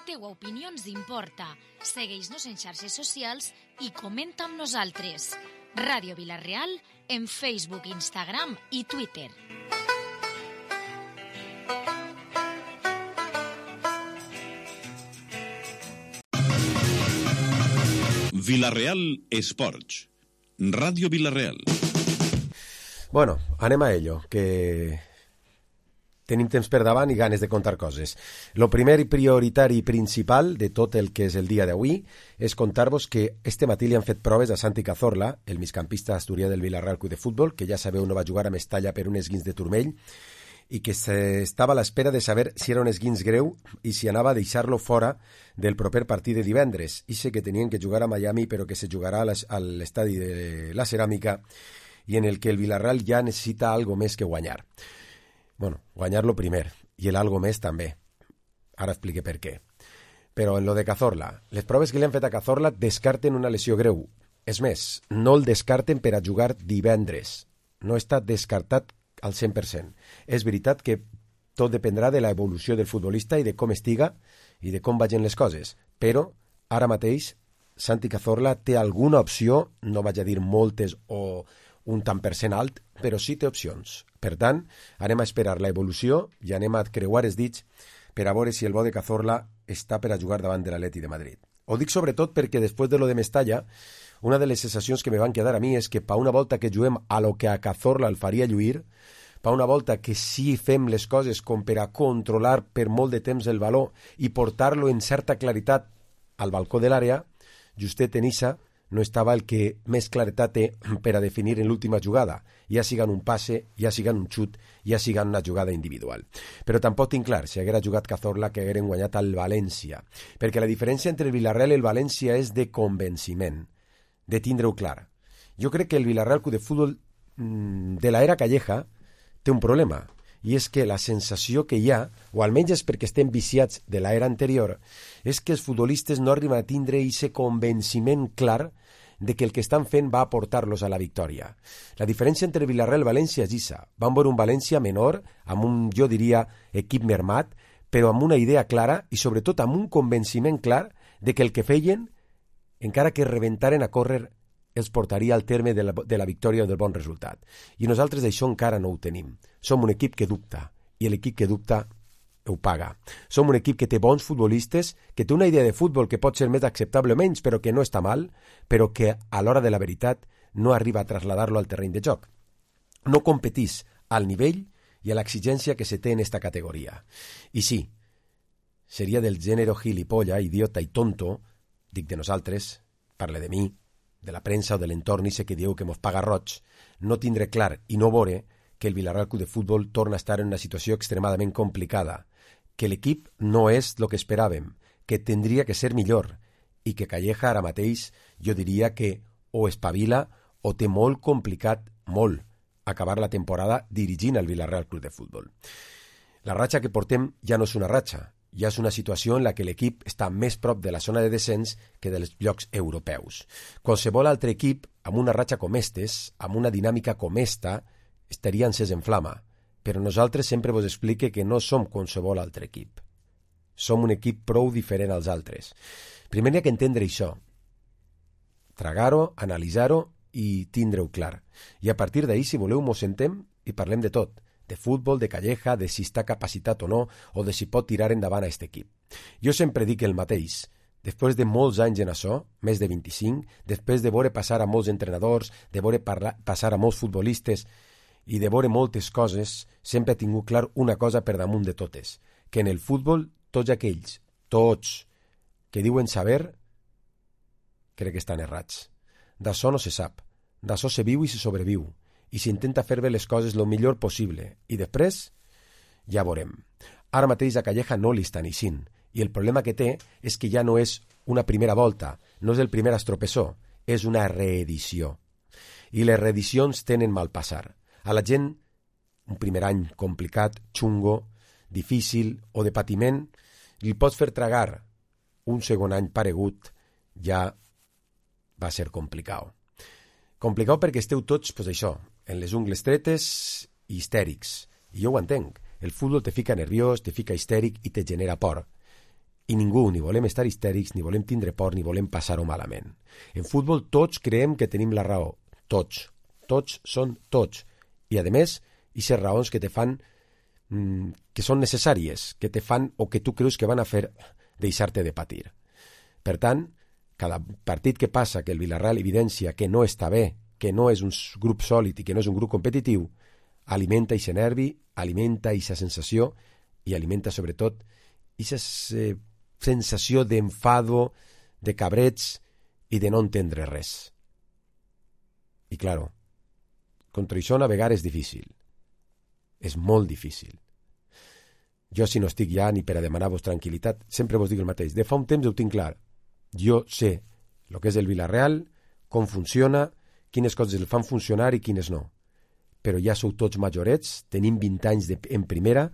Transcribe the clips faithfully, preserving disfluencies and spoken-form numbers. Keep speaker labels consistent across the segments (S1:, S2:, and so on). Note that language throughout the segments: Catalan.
S1: teua opinió ens importa. Segueix-nos en xarxes socials i comenta amb nosaltres. Ràdio Vila-real en Facebook, Instagram i Twitter.
S2: Vila-real Esports. Ràdio Vila-real.
S3: Bueno, anem a ello, que tenim temps per davant i ganes de contar coses. Lo primer i prioritari i principal de tot el que és el dia d'avui és contar-vos que este matí li han fet proves a Santi Cazorla, el migcampista asturià del Vila-real Club de Futbol, que ja sabeu no va jugar a Mestalla per un esguins de turmell, i que estava a l'espera de saber si era un esguins greu i si anava a deixar-lo fora del proper partit de divendres. I sé que tenien que jugar a Miami, però que se jugarà a l'estadi de la Ceràmica i en el que el Vila-real ja necessita algo més que guanyar. Bueno, guanyar-lo primer, i el algo més també. Ara explique per què. Però en lo de Cazorla, les proves que li han fet a Cazorla descarten una lesió greu. És més, no el descarten per a jugar divendres. No està descartat al cent per cent. És veritat que tot dependrà de l'evolució del futbolista i de com estiga i de com vagin les coses, però ara mateix Santi Cazorla té alguna opció, no vaig a dir moltes o un tant per cent alt, però sí té opcions. Per tant, anem a esperar la evolució i anem a creuar els dits per a veure si el bo de Cazorla està per a jugar davant de l'Atleti de Madrid. Ho dic sobretot perquè després de lo de Mestalla, una de les sensacions que me van quedar a mi és que pa una volta que juguem a lo que a Cazorla el faria lluir, pa una volta que sí fem les coses com per a controlar per molt de temps el valor i portar-lo en certa claritat al balcó de l'àrea, justet en Issa no estava el que més claretat té per a definir en l'última jugada, ja sigan un passe, ja sigan un xut, ja sigan una jugada individual. Però tampoc tinc clar si haguera jugat Cazorla que hagueren guanyat al València, perquè la diferència entre el Villarreal i el València és de convenciment, de tindre-ho clar. Jo crec que el Villarreal Club de Futbol de l'era Calleja té un problema, i és que la sensació que hi ha, o almenys és perquè estem viciats de l'era anterior, és que els futbolistes no arriben a tindre aquest convenciment clar de que el que estan fent va a portar-los a la victòria. La diferència entre Villarreal i València és issa. Van veure un València menor, amb un, jo diria, equip mermat, però amb una idea clara i sobretot amb un convenciment clar de que el que feien, encara que rebentaren a córrer, els portaria al terme de la, de la victòria o del bon resultat. I nosaltres això encara no ho tenim. Som un equip que dubta, i l'equip que dubta ho paga. Som un equip que té bons futbolistes, que té una idea de futbol que pot ser més acceptable o menys, però que no està mal, però que a l'hora de la veritat no arriba a traslladar-lo al terreny de joc. No competís al nivell i a l'exigència que se té en esta categoria. I sí, seria del gènere gilipolla, idiota i tonto, dic de nosaltres, parle de mi, de la premsa o de l'entorn i sé que dieu que mos paga roig, no tindre clar i no veure que el Villarreal Club de Futbol torna a estar en una situació extremadament complicada, que l'equip no és el que esperàvem, que tindria que ser millor i que Calleja ara mateix jo diria que o espavila o té molt complicat, molt, acabar la temporada dirigint el Villarreal Club de Futbol. La ratxa que portem ja no és una ratxa, ja és una situació en la que l'equip està més prop de la zona de descens que dels llocs europeus. Qualsevol altre equip, amb una ratxa com estes, amb una dinàmica com esta, estaria encès en flama, però nosaltres sempre vos explique que no som qualsevol altre equip. Som un equip prou diferent als altres. Primer hi ha que entendre això, tragar-ho, analitzar-ho i tindre-ho clar. I a partir d'ahir, si voleu, mos sentem i parlem de tot, de futbol, de Calleja, de si està capacitat o no, o de si pot tirar endavant a aquest equip. Jo sempre dic el mateix. Després de molts anys en això, més de vint-i-cinc, després de veure passar a molts entrenadors, de veure parlar, passar a molts futbolistes i de veure moltes coses, sempre he tingut clar una cosa per damunt de totes, que en el futbol tots aquells, tots, que diuen saber, crec que estan errats. D'això no se sap, d'això se viu i se sobreviu, i s'intenta fer bé les coses el millor possible, i després ja veurem. Ara mateix a Calleja no li estan eixint, i el problema que té és que ja no és una primera volta, no és el primer estropessó, és una reedició. I les reedicions tenen mal passar. A la gent, un primer any complicat, xungo, difícil o de patiment, li pots fer tragar un segon any paregut, ja va ser complicat. Complicat perquè esteu tots, pues això, en les ungles tretes i histèrics. I jo ho entenc. El futbol te fica nerviós, te fica histèric i te genera por. I ningú, ni volem estar histèrics, ni volem tindre por, ni volem passar-ho malament. En futbol tots creiem que tenim la raó. Tots. Tots són tots. I, a més, aquestes raons que te fan, mmm, que són necessàries, que te fan o que tu creus que van a fer deixar-te de patir. Per tant, cada partit que passa que el Villarreal evidencia que no està bé, que no és un grup sòlid i que no és un grup competitiu, alimenta aquest nervi, alimenta aquesta sensació i alimenta sobretot aquesta eh, sensació d'enfado, de cabrets i de no entendre res. I, claro, contra això navegar és difícil. És molt difícil. Jo, si no estic ja ni per a demanar-vos tranquil·litat, sempre vos dic el mateix. De fa un temps ho tinc clar. Jo sé el que és el Villarreal, com funciona, quines coses el fan funcionar i quines no. Però ja sou tots majorets, tenim vint anys de, en primera,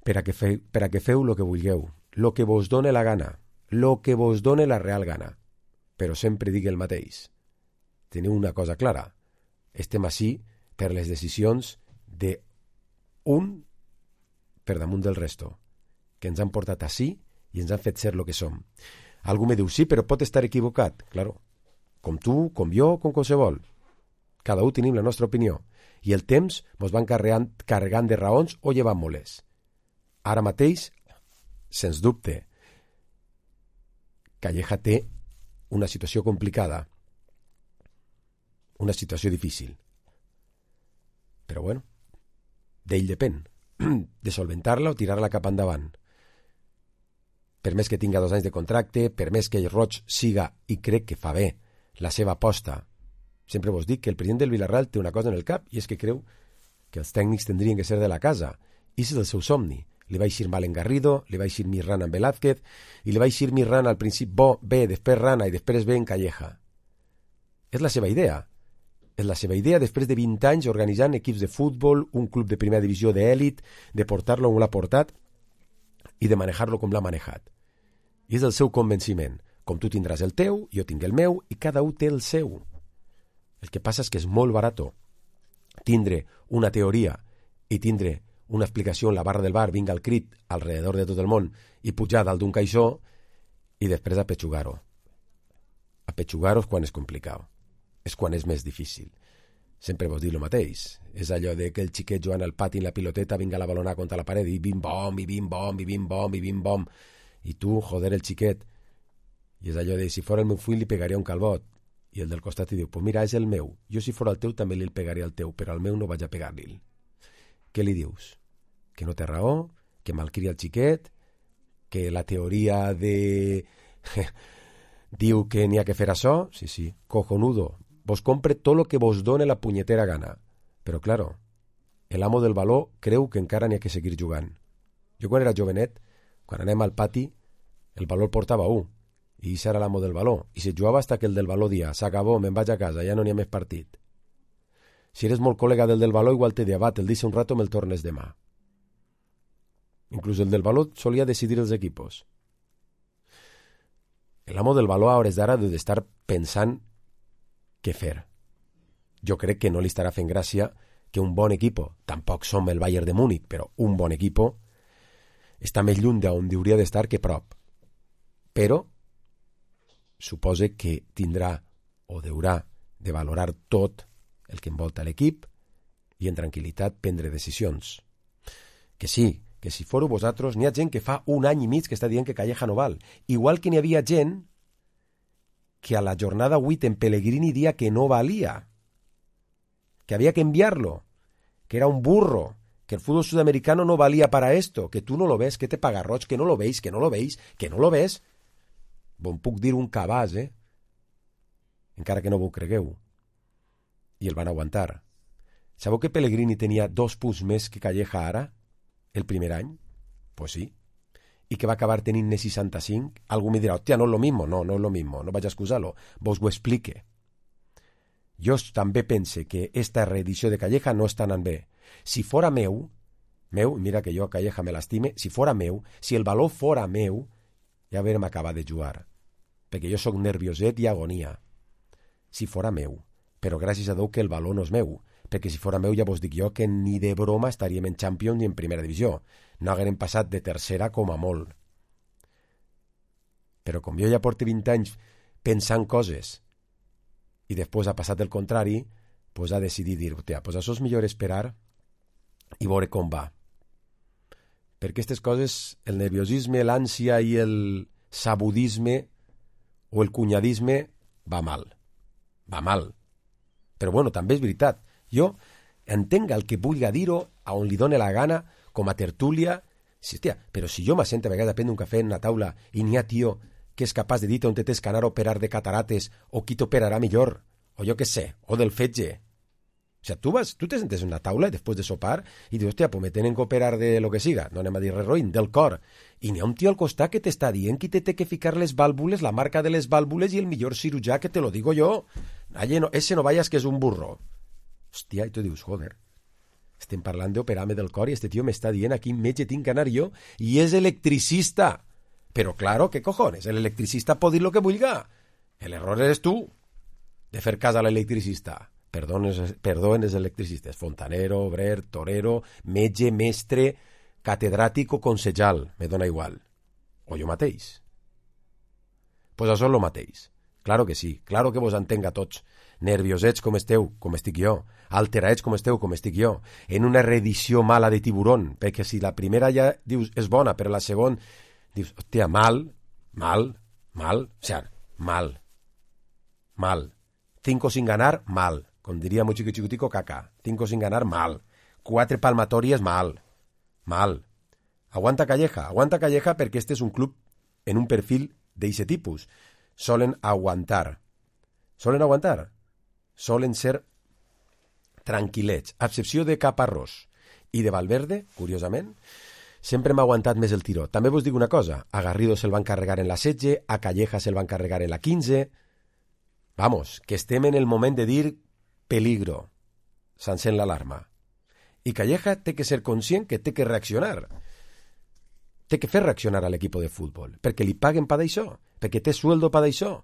S3: per a que, fe, per a que feu el que vulgueu, el que vos done la gana, el que vos done la real gana. Però sempre dic el mateix. Teniu una cosa clara. Estem ací per les decisions d'un per damunt del resto, que ens han portat ací i ens han fet ser el que som. Algú me diu, sí, però pot estar equivocat. Claro, com tu, com jo, com qualsevol. Cada un tenim la nostra opinió. I el temps mos van carregant, carregant de raons o llevant-moles. Ara mateix, sens dubte, Calleja té una situació complicada, una situació difícil. Però bueno, d'ell depèn, de solventar-la o tirar-la cap endavant. Per més que tinga dos anys de contracte, per més que el Roig siga, i crec que fa bé, la seva aposta. Sempre vos dic que el president del Villarreal té una cosa en el cap i és que creu que els tècnics tindrien que ser de la casa. I és el seu somni. Li va eixir mal en Garrido, li va eixir Mirran en Velázquez i li va eixir Mirran al principi bo, bé, després Rana i després bé en Calleja. És la seva idea. És la seva idea després de vint anys organitzant equips de futbol, un club de primera divisió d'èlit, de portar-lo on l'ha portat i de manejar-lo com l'ha manejat. I és el seu convenciment. Com tu tindràs el teu, jo tinc el meu i cada un té el seu. El que passa és que és molt barat tindre una teoria i tindre una explicació en la barra del bar, vinga el crit alrededor de tot el món i pujar dalt d'un caixó i després apetxugar-ho. Apetxugar-ho és quan és complicat. És quan és més difícil. Sempre vos dic el mateix. És allò de que el xiquet jugant al pati en la piloteta vinga la balona contra la paret i bim-bom, i bim-bom, i bim-bom, i bim-bom. I tu, joder, el xiquet. I és allò de, si fora el meu fill li pegaria un calbot. I el del costat i diu, pues mira, és el meu. Jo si fora el teu també li pegaria el teu, però al meu no vaig a pegar-li. Què li dius? Que no té raó? Que malcria el xiquet? Que la teoria de... diu que n'hi ha que fer això? Sí, sí, cojonudo. Vos compre tot lo que vos done la punyetera gana. Però, claro, el amo del baló creu que encara n'hi ha que seguir jugant. Jo quan era jovenet, quan anem al pati, el baló el portava un. I això era l'amo del baló. I se jugava hasta que el del baló dia, s'acabó, me'n vaig a casa, ja no n'hi ha més partit. Si eres molt col·lega del del baló, igual te dia, va, te'l deixa un rato, me'l tornes demà. Inclús el del baló solia decidir els equipos. L'amo del baló a hores d'ara deu d'estar pensant què fer. Jo crec que no li estarà fent gràcia que un bon equip, tampoc som el Bayern de Múnich, però un bon equip està més lluny d'on hauria d'estar que prop. Però suposa que tindrà o deurà de valorar tot el que envolta l'equip i en tranquil·litat prendre decisions. Que sí, que si fóreu vosaltres, n'hi ha gent que fa un any i mig que està dient que Calleja no val. Igual que n'hi havia gent que a la jornada vuit en Pellegrini dia que no valia, que había que enviarlo, que era un burro, que el fútbol sudamericano no valía para esto, que tú no lo ves, que te paga Roig, que no lo veis, que no lo veis, que no lo ves. Bon puc dir un cabàs, eh? Encara que no vos cregueu. I el van aguantar. Sabeu que Pellegrini tenia dos punts més que Calleja ara, el primer any? Pues sí. I que va acabar tenint-ne seixanta-cinc? Algú me dirà, hòstia, no és lo mismo. No, no és lo mismo, no vaig a excusar-lo. Vos ho explique. Jo també pense que esta reedició de Calleja no està anant bé. Si fora meu, meu, mira que jo a Calleja me l'estime, si fora meu, si el valor fora meu, ja haurem acabat de jugar. Perquè jo sóc nervioset i agonia. Si fora meu. Però gràcies a Déu que el valor no és meu. Perquè si fora meu ja vos dic jo que ni de broma estaríem en Champions ni en Primera Divisió. No haguérem passat de tercera com a molt. Però com jo ja porto vint anys pensant coses i després ha passat el contrari, pues ha decidit dir, hòstia, pues això és millor esperar i veure com va. Perquè aquestes coses, el nerviosisme, l'ànsia i el sabudisme o el cunyadisme va mal. Va mal. Però bueno, també és veritat. Jo entenc el que vulgui dir-ho a on li dóna la gana, com a tertúlia. Sí, hòstia, però si jo m'assento a vegades a prendre un cafè en una taula i n'hi ha tio que és capaç de dir on tens que anar a operar de catarates o qui t'operarà millor, o jo què sé, o del fetge. O sea, tu, vas, tu te sentes en una taula després de sopar i dius, hòstia, pues me tenen que operar de lo que siga, no anem a dir res roïn, del cor. I n'hi ha un tio al costat que t'està dient qui te té que ficar les vàlvules, la marca de les vàlvules i el millor cirurgià que te lo digo jo. Aye, no, ese no vayas que és un burro. Hòstia, i tu dius, joder, estem parlant d'operar-me del cor i este tio m'està dient a quin metge tinc que anar jo i és electricista. Però claro, ¿qué cojones? El electricista pot dir lo que vulga. El error eres tu de fer cas a l'electricista. Perdones, perdones electricistes. Fontanero, obrer, torero, metge, mestre, catedràtic o consejal. Me dona igual. O jo mateix. Pues això és lo mateix. Claro que sí. Claro que vos entenc a tots. Nerviosets com esteu, com estic jo. Alteraets com esteu, com estic jo. En una reedició mala de Tiburón. Perquè si la primera ja dius és bona, però la segona dius, hòstia, mal, mal, mal, o sea, mal, mal. Cinco sin ganar, mal. Com diria muy chiquitico caca. Cinco sin ganar, mal. Quatre palmatorias, mal. Mal. Aguanta Calleja. Aguanta Calleja perquè este és un club en un perfil d'eixe tipus. Solen aguantar. Solen aguantar. Solen ser tranquil·lets. A excepció de Caparrós i de Valverde, curiosament, sempre m'ha aguantat més el tiró. També vos dic una cosa, a Garrido se'l van carregar en la setze, a Calleja se'l van carregar en la quinze. Vamos, que estem en el moment de dir peligro. S'encén l'alarma. I Calleja té que ser conscient que té que reaccionar. Té que fer reaccionar a l'equip de futbol, perquè li paguen pa d'això, perquè té sueldo pa d'això,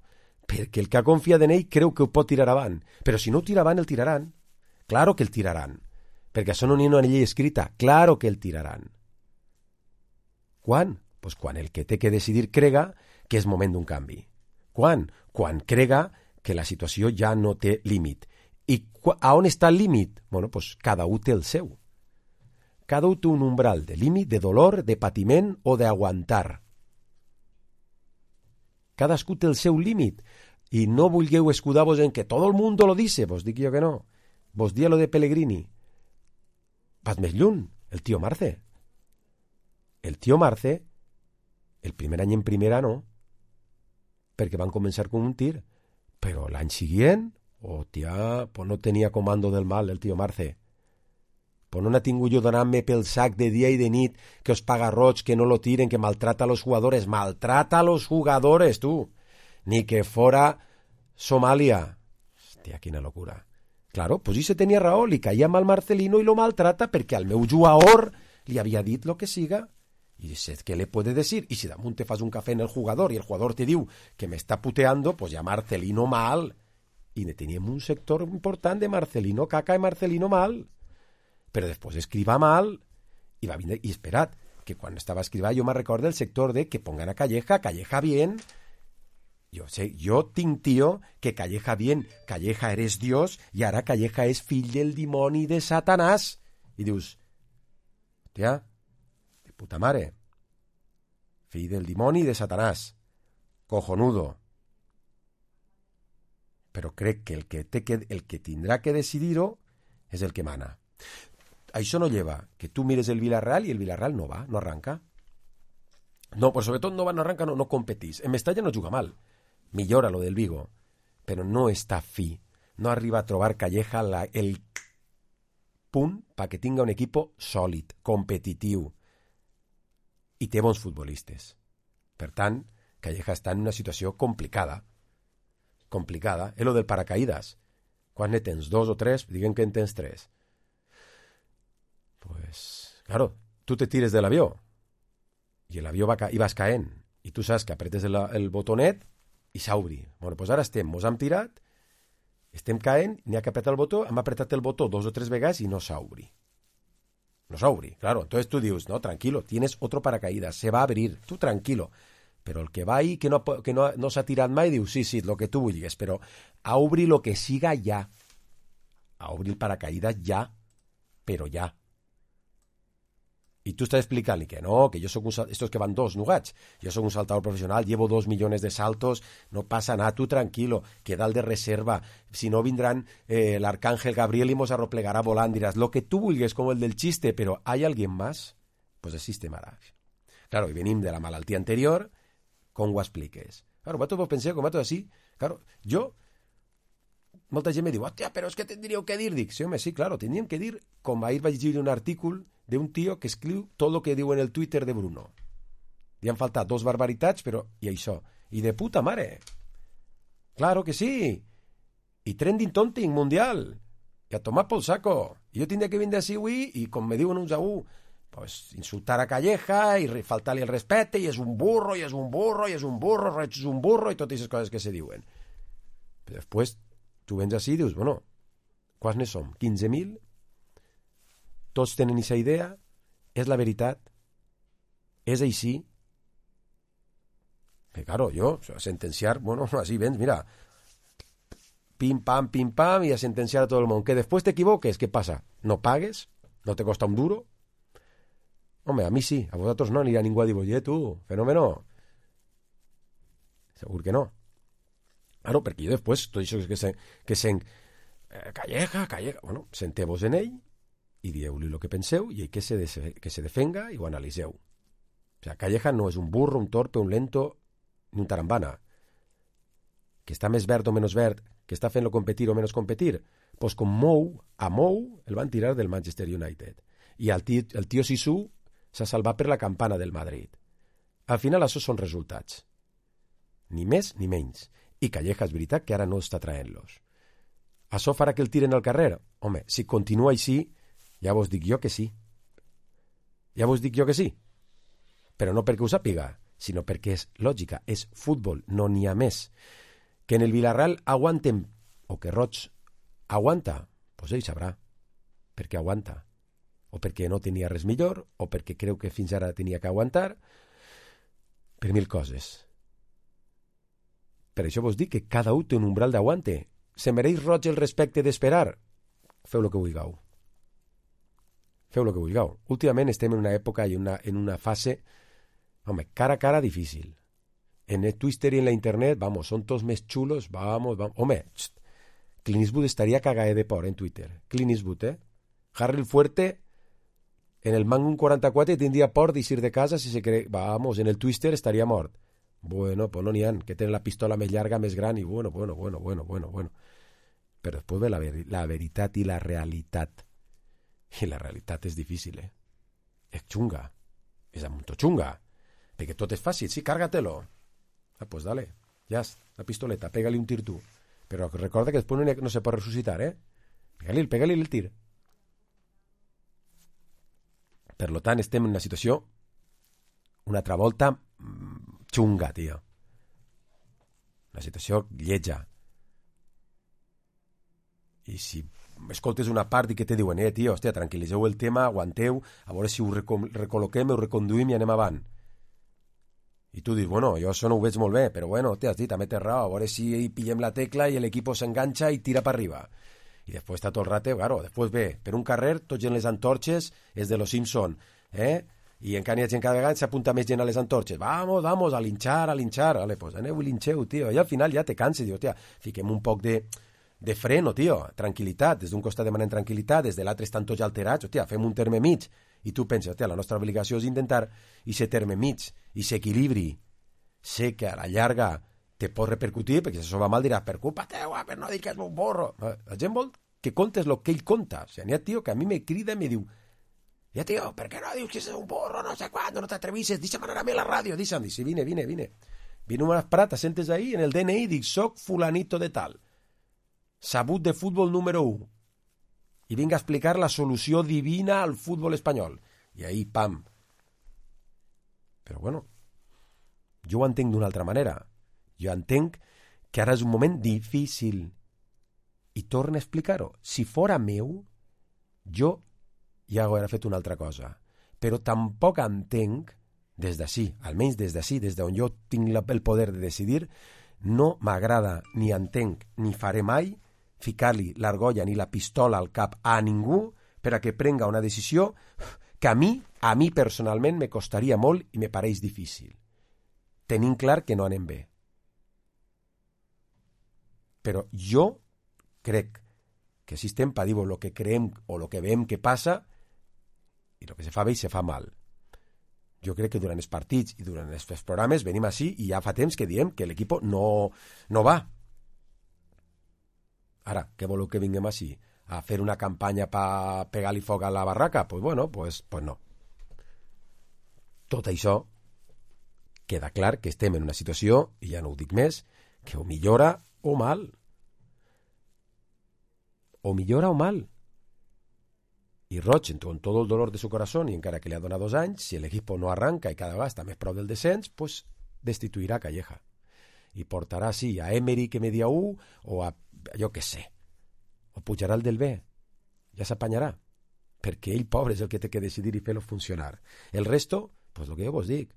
S3: perquè el que ha confiat en ell creu que ho pot tirar avant. Però si no ho tira avant, el tiraran. Claro que el tiraran. Perquè això no n'hi ha una llei escrita. Claro que el tiraran. Quan? Pues quan el que té que decidir crega que és moment d'un canvi. Quan? Quan crega que la situació ja no té límit. I a on està el límit? Bueno, pues cada un té el seu. Cada un té un umbral de límit, de dolor, de patiment o d'aguantar. Cadascú té el seu límit. I no vulgueu escudar-vos en que tot el món lo dice. Vos dic jo que no. Vos dia lo de Pellegrini. Vas més lluny, el tio Marce. El tio Marce, el primer any en primera no, perquè van començar com un tir, però l'any següent, hòstia, pues no tenia comando del mal el tio Marce. Pues no n'ha tingut jo donant-me pel sac de dia i de nit, que os paga roig, que no lo tiren, que maltrata a los jugadores. Maltrata a los jugadores, tu. Ni que fora Somalia. Hòstia, quina locura. Claro, pues ese tenia raó, li caia mal Marcelino i lo maltrata perquè al meu jugador li havia dit lo que siga. Y dices, ¿qué le puede decir? Y si damunt te fas un café en el jugador y el jugador te diu que me está puteando, pues ya Marcelino mal. Y teníem un sector important de Marcelino caca y Marcelino mal. Pero después escriba mal. Y va bien, y esperad, que cuando estaba escriba yo me recuerdo el sector de que pongan a Calleja, Calleja bien. Yo sé, yo tinc tío que Calleja bien, Calleja eres Dios y ahora Calleja es fill del dimoni de Satanás. Y dius, hòstia, puta mare, fill del dimoni de Satanàs, cojonudo. Però crec que el que, té que el que tindrà que decidir-ho és el que mana. Això no lleva que tu mires el Villarreal i el Villarreal no va, no arranca. No, però sobretot no va, no arranca, no, no competís. En Mestalla no juga mal, millora lo del Vigo, però no està fi. No arriba a trobar Calleja la, el punt perquè tinga un equip sòlid, competitiu, i té bons futbolistes. Per tant, Calleja està en una situació complicada. Complicada. És lo del paracaídas. Quan ne tens dos o tres, diguen que en tens tres. Pues, claro, tu te tires de l'avió i l'avió va ca- i vas caent i tu saps que apretes el, el botonet i s'obri. Bueno, pues ara estem, mos hem tirat, estem caent, n'hi ha que apretar el botó, hem apretat el botó dos o tres vegades i no s'obri. No s'obri, claro. Entonces tú dius, no, tranquilo, tienes otro paracaídas, se va a abrir, tú tranquilo. però el que va ahí, que no, que no, no s'ha tirat mai, diu, sí, sí, el que tu vulguis, però a obrir lo que siga ja. A obrir el paracaídas ja, però ja. Y tú estás explicando que no, que yo soy un saltador, estos que van dos nugats, yo soy un saltador profesional, llevo dos millones de saltos, no pasa nada, tú tranquilo, queda el de reserva, si no vendrán eh, el arcángel Gabriel y mos arroplegará volando, dirás, lo que tú vulgues, como el del chiste, pero ¿hay alguien más? Pues existe maravilla. Claro, y venim de la malaltía anterior, com ho expliques? Claro, vosaltres vos penseu, com vosaltres així, claro, jo, molta gent me diu, hòstia, però és que tindríeu que dir, dic, sí, home, sí, claro, tindríem que dir, com ahir vaig llegir un artícul de un tío que escriu tot el que diu en el Twitter de Bruno. Li han faltat dos barbaritats, però, i això, i de puta mare. Claro que sí. I trending tonting mundial. I a tomar pel saco. I jo tindria que vindre així avui, i com me diuen uns a un, pues, insultar a Calleja, i faltar-li el respecte, i és un burro, i és un burro, i és un burro, és un burro, i totes aquestes coses que se diuen. Però després, tu vens així i dius, bueno, quants ne som? quinze mil? Tots tenen aquesta idea? És la veritat? És així? Que, claro, jo, a sentenciar, bueno, així vens, mira, pim, pam, pim, pam, i a sentenciar a tot el món. Que després t'equivoques, què passa? No pagues? No te costa un duro? Home, a mi sí, a vosaltres no anirà ningú a dir, oye, tu, fenómeno. Segur que no. Claro, perquè jo després, tot això que se, que sent, eh, Calleja, Calleja, bueno, senteu-vos en ell, i dieu-li el que penseu i que se, de, que se defenga i ho analiseu. O sea, Calleja no és un burro, un torpe, un lento ni un tarambana. Que està més verd o menys verd, que està fent-lo competir o menys competir, pues com Mou, a Mou el van tirar del Manchester United. I el tio, el tio Sisu s'ha salvat per la campana del Madrid. Al final això són resultats. Ni més ni menys. I Calleja és veritat que ara no està traient-los. Això farà que el tiren al carrer? Home, si continua així, ja vos dic jo que sí. Ja vos dic jo que sí. Però no perquè ho sàpiga, sinó perquè és lògica, és futbol, no n'hi ha més. Que en el Villarreal aguantem, o que Roig aguanta, doncs ell sabrà per què aguanta. O perquè no tenia res millor, o perquè creu que fins ara tenia que aguantar, per mil coses. Per això vos dic que cada un té un umbral d'aguante. Se mereix Roig el respecte d'esperar? Feu el que vulgueu. Feu el que vulgueu. Últimament estem en una època i una, en una fase, home, cara a cara difícil. En el Twitter y en la internet, vamos, son todos més chulos, vamos, vamos. Home, txt, Clint Eastwood estaria cagada de por en Twitter. Clint Eastwood, eh? Harry el Fuerte, en el Magnum quaranta-quatre tindria por d'eixir de casa si se cree, vamos, en el Twister estaria mort. Bueno, pues no n'hi ha, que tenen la pistola més llarga, més gran, i bueno, bueno, bueno, bueno, bueno, bueno. Però després ve la, ver la veritat i la realitat. I la realitat és difícil, eh? És xunga. És amunto xunga. Perquè tot és fàcil. Sí, cárgatelo. Ah, pues dale. Ja, la pistoleta, pégale un tir tu. Però recorda que després no, no se pot resucitar, eh? Pégale, pégale el tir. Per lo tant, estem en una situació una altra volta xunga, tio. Una situació lletja. I si escoltes una part i que te diuen, eh, tio, hòstia, tranquil·litzeu el tema, aguanteu, a veure si ho recol·loquem, ho reconduïm i anem avant. I tu dius, bueno, jo això no ho veig molt bé, però bueno, hòstia, sí, també té raó, a veure si pillem la tecla i l'equip s'enganxa i tira per arriba. I després està tot el rato, claro, després ve, per un carrer, tots en les antorxes, és de los Simpson, eh? I encara hi ha gent cada vegada s'apunta més gent a les antorxes. Vamos, vamos, a linxar, a linxar. Vale, pues aneu i linxeu, tio. I al final ja te canses, dius, hòstia, fiquem un poc de... de freno, tio, tranquil·litat, des d'un costat demanem tranquil·litat, des de l'altre estan tots alterats, hòstia, fem un terme mig, i tu penses, hòstia, la nostra obligació és intentar i ser terme mig, i s'equilibri. Sé que a la llarga te pot repercutir, perquè si això va mal diràs, per culpa teua, per no dir que és un borro. La gent vol que contes el que ell conta. O sigui, n'hi ha tio que a mi me crida i me diu, ja tio, per què no dius que és un borro, no sé quan, no t'atrevisses, deixa'm anar a mi a la ràdio, deixa'm, dic, sí, vine, vine, vine. Vine unes prates, sentes ahí, en el D N I, dic, soc fulanito de tal. Sabut de futbol número u. I vinc a explicar la solució divina al futbol espanyol. I ahí, pam. Però bueno, jo ho entenc d'una altra manera. Jo entenc que ara és un moment difícil. I torno a explicar-ho. Si fora meu, jo ja hauria fet una altra cosa. Però tampoc entenc, des d'ací, almenys des d'ací, des d'on jo tinc la, el poder de decidir, no m'agrada ni entenc ni faré mai ficar-li l'argolla ni la pistola al cap a ningú per a que prenga una decisió que a mi, a mi personalment me costaria molt i me pareix difícil. Tenim clar que no anem bé. Però jo crec que si estem per dir-ho el que creem o el que veiem que passa, i el que se fa bé i se fa mal. Jo crec que durant els partits i durant els programes venim així i ja fa temps que diem que l'equip no, no va. Ara, què voleu que vinguem així? A fer una campanya per pegar-li foc a la barraca? Pues bueno, pues, pues no. Tot això queda clar que estem en una situació, i ja no ho dic més, que o millora o mal. O millora o mal. I Roig, con tot el dolor de su corazón, i encara que li ha donat dos anys, si l'equip no arranca i cada vegada està més prou del descens, pues destituirà Calleja. I portarà, sí, a Emery que media u, o a, jo què sé, o pujarà el del B. Ja s'apanyarà. Perquè ell, pobre, és el que té que decidir i fer-lo funcionar. El resto, pues el que jo vos dic,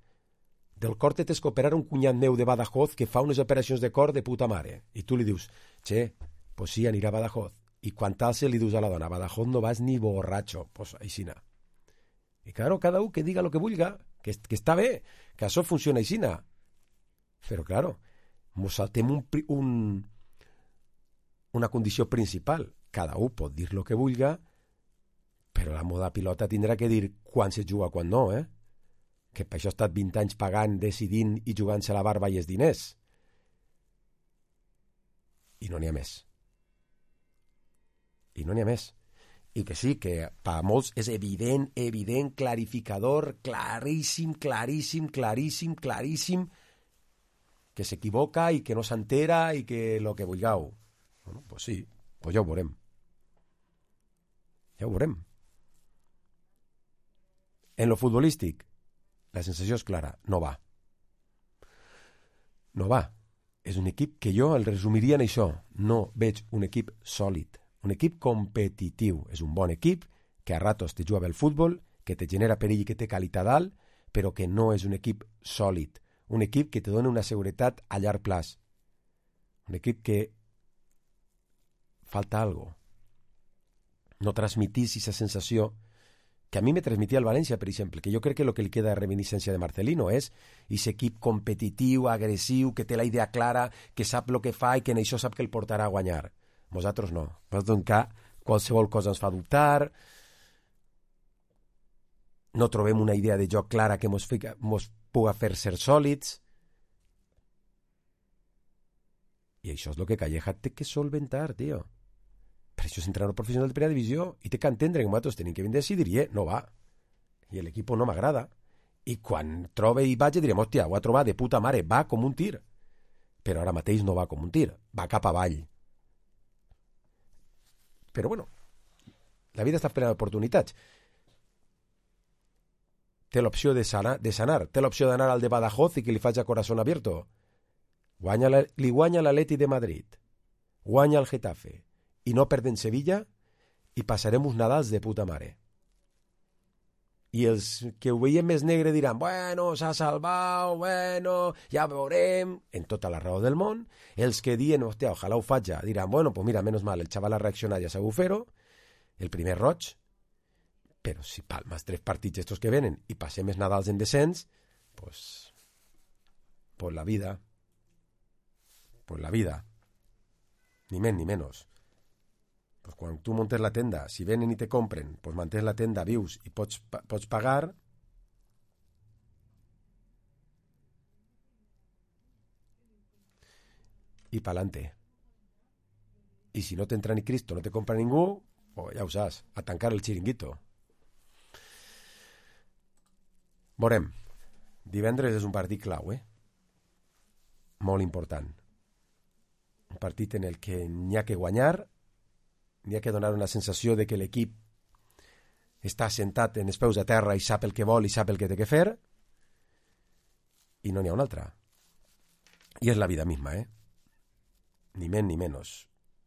S3: del cor te tens que operar un cunyat meu de Badajoz que fa unes operacions de cor de puta mare. I tu li dius, che, pues sí, anirà a Badajoz. I quan tal se li dius a la dona, a Badajoz no vas ni borratxo, pues aixina. I claro, cada un que diga lo que vulga, que, que està bé, que això funciona aixina. Però claro, mos saltem un, un, una condició principal. Cada un pot dir lo que vulga, però la moda pilota tindrà que dir quan se juga, quan no, eh? Que per això ha estat vint anys pagant, decidint i jugant-se la barba i els diners. I no n'hi ha més. I no n'hi ha més. I que sí, que per a molts és evident, evident, clarificador, claríssim, claríssim, claríssim, claríssim, que s'equivoca i que no s'entera i que lo que vulgueu. Bueno, pues sí, pues ja ho veurem. Ja ho veurem. En lo futbolístic, la sensació és clara, no va. No va. És un equip que jo el resumiria en això. No veig un equip sòlid. Un equip competitiu. És un bon equip que a ratos te juga bé el futbol, que te genera perill i que té qualitat dalt, però que no és un equip sòlid. Un equip que te dona una seguretat a llarg plaç. Un equip que falta algo. No transmitís aquesta sensació que a mi me transmitia el València, per exemple, que jo crec que el que li queda de reminiscència de Marcelino és aquest equip competitiu, agressiu, que té la idea clara, que sap el que fa i que en això sap que el portarà a guanyar. Nosaltres no. Nosaltres, qualsevol cosa ens fa dubtar, no trobem una idea de joc clara que mos, fica, mos puga fer ser sòlids. I això és el que Calleja té que solventar, tio. Per això és entrenador professional de primera divisió i té que entendre que nosaltres tenim que vindre a decidir, no va. I l'equip no m'agrada. I quan trobe i vaig direm, hòstia, ho ha trobat de puta mare, va com un tir. Però ara mateix no va com un tir, va cap avall. Però bueno, la vida està plena d'oportunitats. Té l'opció de sanar, de sanar, té l'opció d'anar al de Badajoz i que li faci a corazón abierto. Guanya la, li guanya l'Atleti de Madrid, guanya el Getafe, i no perden Sevilla, i passarem uns Nadals de puta mare. I els que ho veiem més negre diran, bueno, s'ha salvat, bueno, ja veurem, en tota la raó del món. Els que diuen, hòstia, ojalà ho faig ja, diran, bueno, pues mira, menos mal, el xaval ha reaccionat, ja sabeu fer-ho, el primer roig, però si palmes tres partits estos que venen i passem els Nadals en descens, pues, pues la vida, pues la vida, ni més ni menys. Pues quan tu montes la tenda, si venen i te compren, pues mantens la tenda, vius i pots, pots pagar, i pa'lante. I si no t'entra ni Cristo, no te compra ningú, pues ja ho saps, a tancar el xiringuito. Veurem. Divendres és un partit clau, eh? Molt important. Un partit en el que n'hi ha que guanyar, n'hi ha que donar una sensació de que l'equip està assentat en els peus a terra i sap el que vol i sap el que té que fer, i no n'hi ha una altra. I és la vida misma, eh? Ni més ni menys.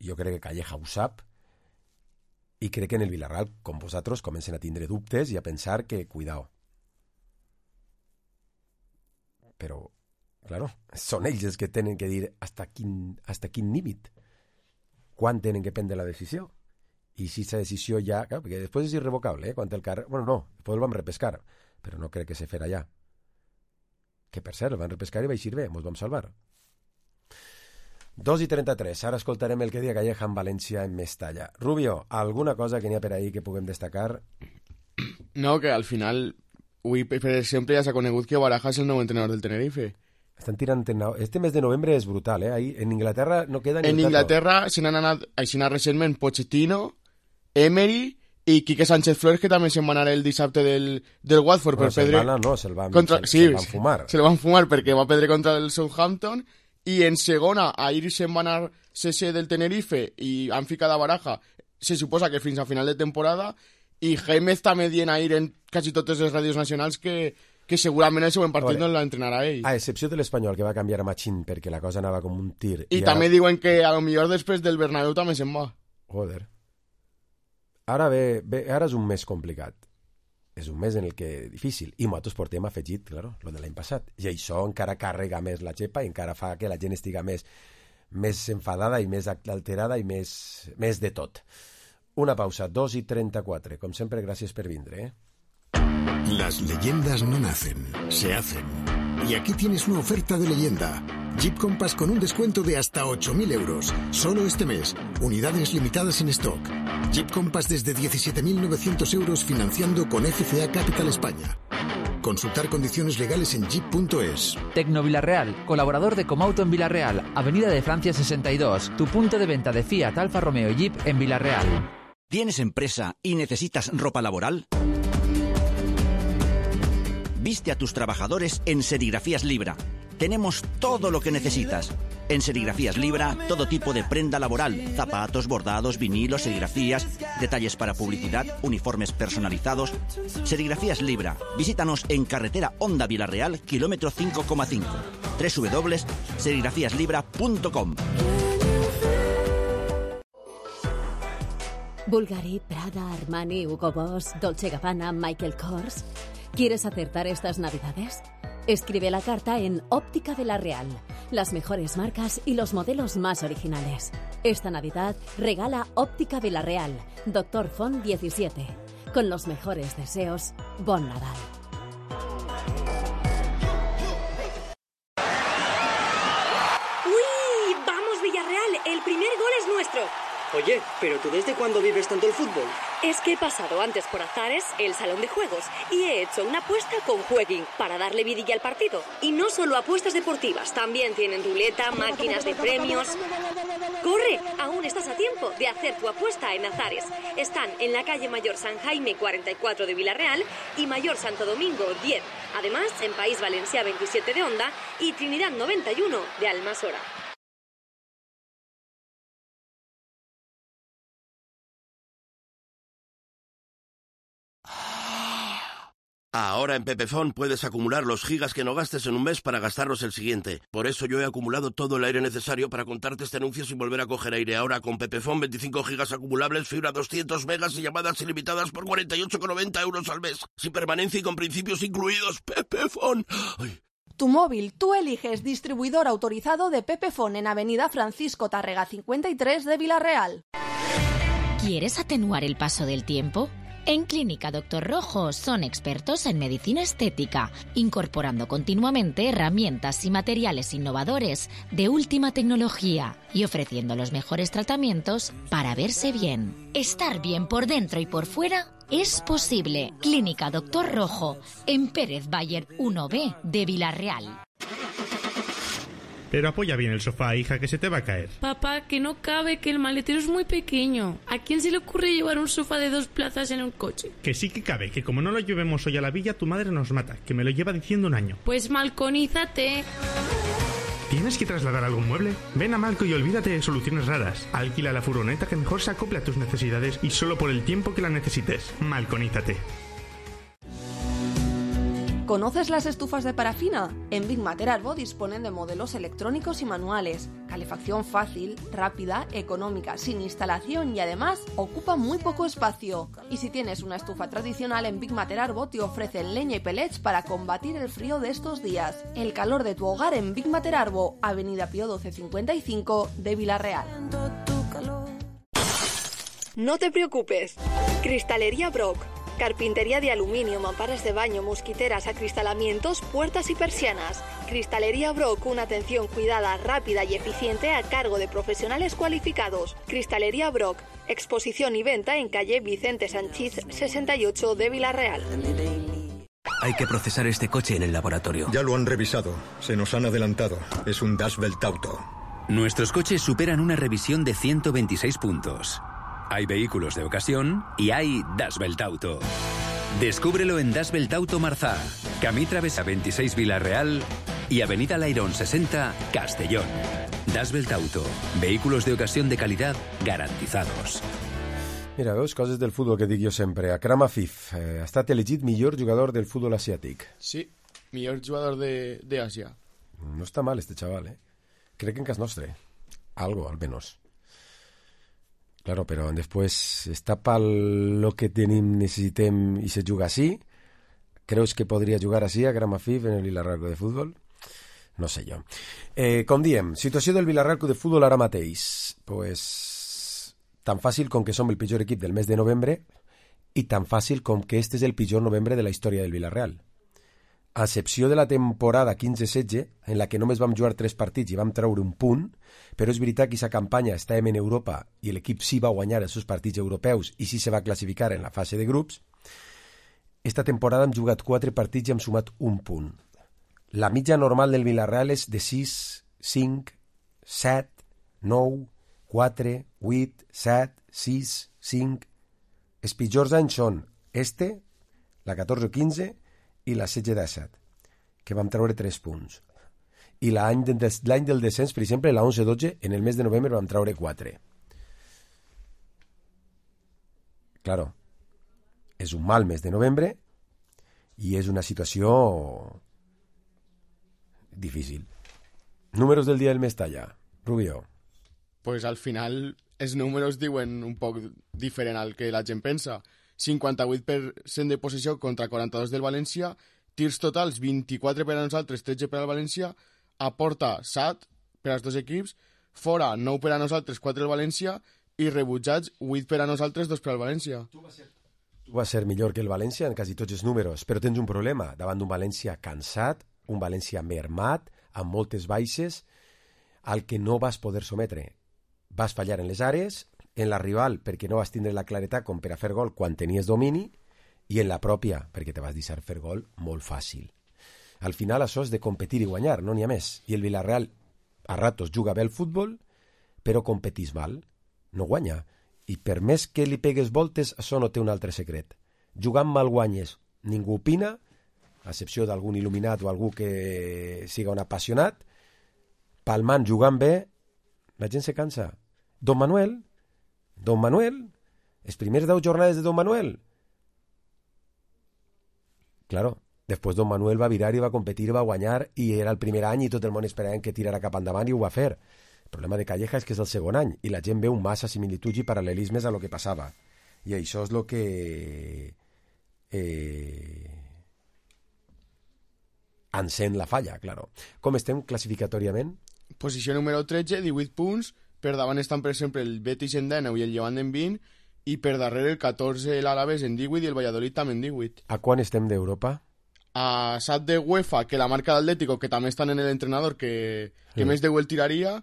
S3: Jo crec que Calleja ho sap, i crec que en el Villarreal, com vosaltres, comencen a tindre dubtes i a pensar que, cuidao, però, claro, són ells els que tenen que dir hasta quin, hasta quin límit, quan tenen que prendre la decisió. I si aquesta decisió ja... Clar, perquè després és irrevocable, eh? Quan el carrer... Bueno, no, després el vam repescar, però no crec que se farà ja. Que, per cert, el van repescar i va eixir bé, ens vam salvar. dos i trenta-tres, ara escoltarem el que dia Calleja en València en Mestalla. Rubio, alguna cosa que n'hi ha per ahí que puguem destacar?
S4: No, que al final, avui, per exemple, ja s'ha conegut que Baraja és el nou entrenador del Tenerife.
S3: Estan tirant... Este mes de novembre és brutal, eh? Ahí, en Inglaterra no queda ni
S4: en Inglaterra se n'han anat, així n'ha recentment, Pochettino, Emery i Quique Sánchez Flores, que també se'n va anar el dissabte del, del Watford.
S3: No,
S4: per perdre...
S3: van, no, se'l van,
S4: contra...
S3: se,
S4: sí,
S3: se van fumar.
S4: Se el van fumar perquè va perdre contra el Southampton. I en segona, ahir se'n va anar C C del Tenerife i han ficat a Baraja, se suposa que fins a final de temporada, i Gémez també dient ahir en quasi totes les ràdios nacionals que, que segurament el següent partit no l'entrenarà ell.
S3: A excepció de l'Espanyol, que va canviar a Machín perquè la cosa anava com un tir.
S4: I, I també ara... diuen que a lo millor després del Bernabéu també se'n va.
S3: Joder. Ara ve, ve, ara és un mes complicat. És un mes en el que difícil. I nosaltres portem afegit, claro, lo de l'any passat. I això encara carrega més la xepa i encara fa que la gent estiga més, més enfadada i més alterada i més, més de tot. Una pausa, dos i trenta-quatre. Com sempre, gràcies per vindre, eh?
S5: Las leyendas no nacen, se hacen. Y aquí tienes una oferta de leyenda. Jeep Compass con un descuento de hasta ocho mil euros. Solo este mes. Unidades limitadas en stock. Jeep Compass desde diecisiete mil novecientos euros financiando con F C A Capital España. Consultar condiciones legales en jeep punto es.
S6: Tecno Villarreal, colaborador de Comauto en Villarreal, Avenida de Francia sesenta y dos, tu punto de venta de Fiat, Alfa Romeo y Jeep en Villarreal.
S7: ¿Tienes empresa y necesitas ropa laboral? Viste a tus trabajadores en Serigrafías Libra. Tenemos todo lo que necesitas. En Serigrafías Libra, todo tipo de prenda laboral, zapatos, bordados, vinilos, serigrafías, detalles para publicidad, uniformes personalizados. Serigrafías Libra. Visítanos en carretera Honda Villarreal, kilómetro cinco coma cinco. doble u doble u doble u punto serigrafías libra punto com.
S8: Bulgari, Prada, Armani, Hugo Boss, Dolce Gabbana, Michael Kors. ¿Quieres acertar estas navidades? Escribe la carta en Óptica Villarreal. Las mejores marcas y los modelos más originales. Esta Navidad regala Óptica Villarreal, Doctor Font diecisiete. Con los mejores deseos, Bon Nadal.
S9: ¡Uy! ¡Vamos, Villarreal! El primer gol es nuestro.
S10: Oye, ¿pero tú desde cuándo vives tanto el fútbol?
S9: Es que he pasado antes por Azares, el salón de juegos, y he hecho una apuesta con Jueguin para darle vidilla al partido. Y no solo apuestas deportivas, también tienen ruleta, máquinas de premios. ¡Corre! Aún estás a tiempo de hacer tu apuesta en Azares. Están en la calle Mayor San Jaime cuarenta y cuatro de Villarreal y Mayor Santo Domingo diez. Además, en País Valencià veintisiete de Onda y Trinidad noventa y uno de Almasora.
S11: Ahora en Pepefon puedes acumular los gigas que no gastes en un mes para gastarlos el siguiente. Por eso yo he acumulado todo el aire necesario para contarte este anuncio sin volver a coger aire. Ahora con Pepefon veinticinco gigas acumulables, fibra doscientos megas y llamadas ilimitadas por cuarenta y ocho con noventa euros al mes. Sin permanencia y con principios incluidos. Pepefon. Ay.
S12: Tu móvil, tú eliges distribuidor autorizado de Pepefon en Avenida Francisco Tárrega cincuenta y tres de Villarreal.
S1: ¿Quieres atenuar el paso del tiempo? En Clínica Doctor Rojo son expertos en medicina estética, incorporando continuamente herramientas y materiales innovadores de última tecnología y ofreciendo los mejores tratamientos para verse bien. Estar bien por dentro y por fuera es posible. Clínica Doctor Rojo, en Pérez Bayer uno B de Villarreal.
S13: Pero apoya bien el sofá, hija, que se te va a caer.
S14: Papá, que no cabe, que el maletero es muy pequeño. ¿A quién se le ocurre llevar un sofá de dos plazas en un coche?
S13: Que sí que cabe, que como no lo llevemos hoy a la villa, tu madre nos mata, que me lo lleva diciendo un año.
S14: Pues malconízate.
S13: ¿Tienes que trasladar algún mueble? Ven a Malco y olvídate de soluciones raras. Alquila la furgoneta que mejor se acople a tus necesidades y solo por el tiempo que la necesites. Malconízate.
S12: ¿Conoces las estufas de parafina? En Big Mater Arbo disponen de modelos electrónicos y manuales, calefacción fácil, rápida, económica, sin instalación y además ocupa muy poco espacio. Y si tienes una estufa tradicional, en Big Mater Arbo te ofrecen leña y pellets para combatir el frío de estos días. El calor de tu hogar en Big Mater Arbo, Avenida Pío doce cincuenta y cinco de Vila-real.
S9: No te preocupes. Cristalería Brock. Carpintería de aluminio, mamparas de baño, mosquiteras, acristalamientos, puertas y persianas. Cristalería Brock, una atención cuidada, rápida y eficiente a cargo de profesionales cualificados. Cristalería Brock, exposición y venta en calle Vicente Sanchís sesenta y ocho de Vila-real.
S15: Hay que procesar este coche en el laboratorio.
S16: Ya lo han revisado. Se nos han adelantado. Es un Das Welt Auto.
S15: Nuestros coches superan una revisión de ciento veintiséis puntos. Hay vehículos de ocasión y hay Das Welt Auto. Descúbrelo en Das Welt Auto Marzá, Camí Travesa veintiséis Vila-real y Avenida Lairón sesenta, Castellón. Das Welt Auto, vehículos de ocasión de calidad garantizados.
S3: Mira, veus, coses del futbol que dic jo sempre. Akram Afif eh, ha estat elegit millor jugador del futbol asiàtic.
S4: Sí, millor jugador de, de Asia.
S3: No està mal este chaval, eh? Crec que en cas nostre. Algo, al menos. Claro, pero después está para lo que tenim, necessitem i se juga así. ¿Creus que podria jugar así a Akram Afif en el Villarreal Club de Futbol? No sé jo. Eh, com diem, situació del Villarreal Club de Futbol ara mateix. Pues tan fàcil com que som el pitjor equip del mes de novembre i tan fàcil com que este és el pitjor novembre de la història del Villarreal. A excepció de la temporada quinze setze, en la que només vam jugar tres partits i vam treure un punt, però és veritat que aquesta campanya estàvem en Europa i l'equip sí va guanyar els seus partits europeus i sí se va classificar en la fase de grups, esta temporada hem jugat quatre partits i hem sumat un punt. La mitja normal del Villarreal és de sis, cinc, set, nou, quatre, vuit, set, sis, cinc... Els pitjors anys són este, la catorze quinze i la setze disset, que vam treure tres punts. I l'any de, l'any del descens, per exemple, la onze dotze, en el mes de novembre vam treure quatre. Claro, és un mal mes de novembre i és una situació difícil. Números del dia del Mestalla, Rubio.
S4: Pues al final els números diuen un poc diferent al que la gent pensa. cinquanta-vuit per cent de possessió contra quaranta-dos del València, tirs totals vint-i-quatre per a nosaltres, tretze per al València, a porta set per als dos equips, fora nou per a nosaltres, quatre al València, i rebutjats vuit per a nosaltres, dos per al València.
S3: Tu vas ser, tu vas ser millor que el València en quasi tots els números, però tens un problema davant d'un València cansat, un València mermat, amb moltes baixes, al que no vas poder sometre. Vas fallar en les àrees, en la rival perquè no vas tindre la claretat com per a fer gol quan tenies domini i en la pròpia perquè te vas deixar fer gol molt fàcil. Al final això és de competir i guanyar, no n'hi ha més. I el Villarreal a ratos juga bé el futbol però competís mal, no guanya. I per més que li pegues voltes, això no té un altre secret. Jugant mal guanyes, ningú opina, a excepció d'algun il·luminat o algú que siga un apassionat. Palmant jugant bé, la gent se cansa. Don Manuel Don Manuel, les primeres deu jornades de Don Manuel. Claro, després Don Manuel va virar i va competir, va guanyar i era el primer any i tot el món esperava que tirara cap endavant i ho va fer. El problema de Calleja és que és el segon any i la gent veu massa similituds i paral·lelismes a lo que passava. I això és el que eh, encén la falla, claro. Com estem classificatòriament?
S4: Posició número tretze, divuit punts. Per davant estan, per exemple, el Betis en dinou i el Llevant en vint, i per darrere el catorze l'Alavés en divuit i el Valladolid també en divuit.
S3: A quan estem d'Europa?
S4: A set de UEFA, que la marca d'Atlético, que també estan en l'entrenador, que, que sí. Més de el tiraria,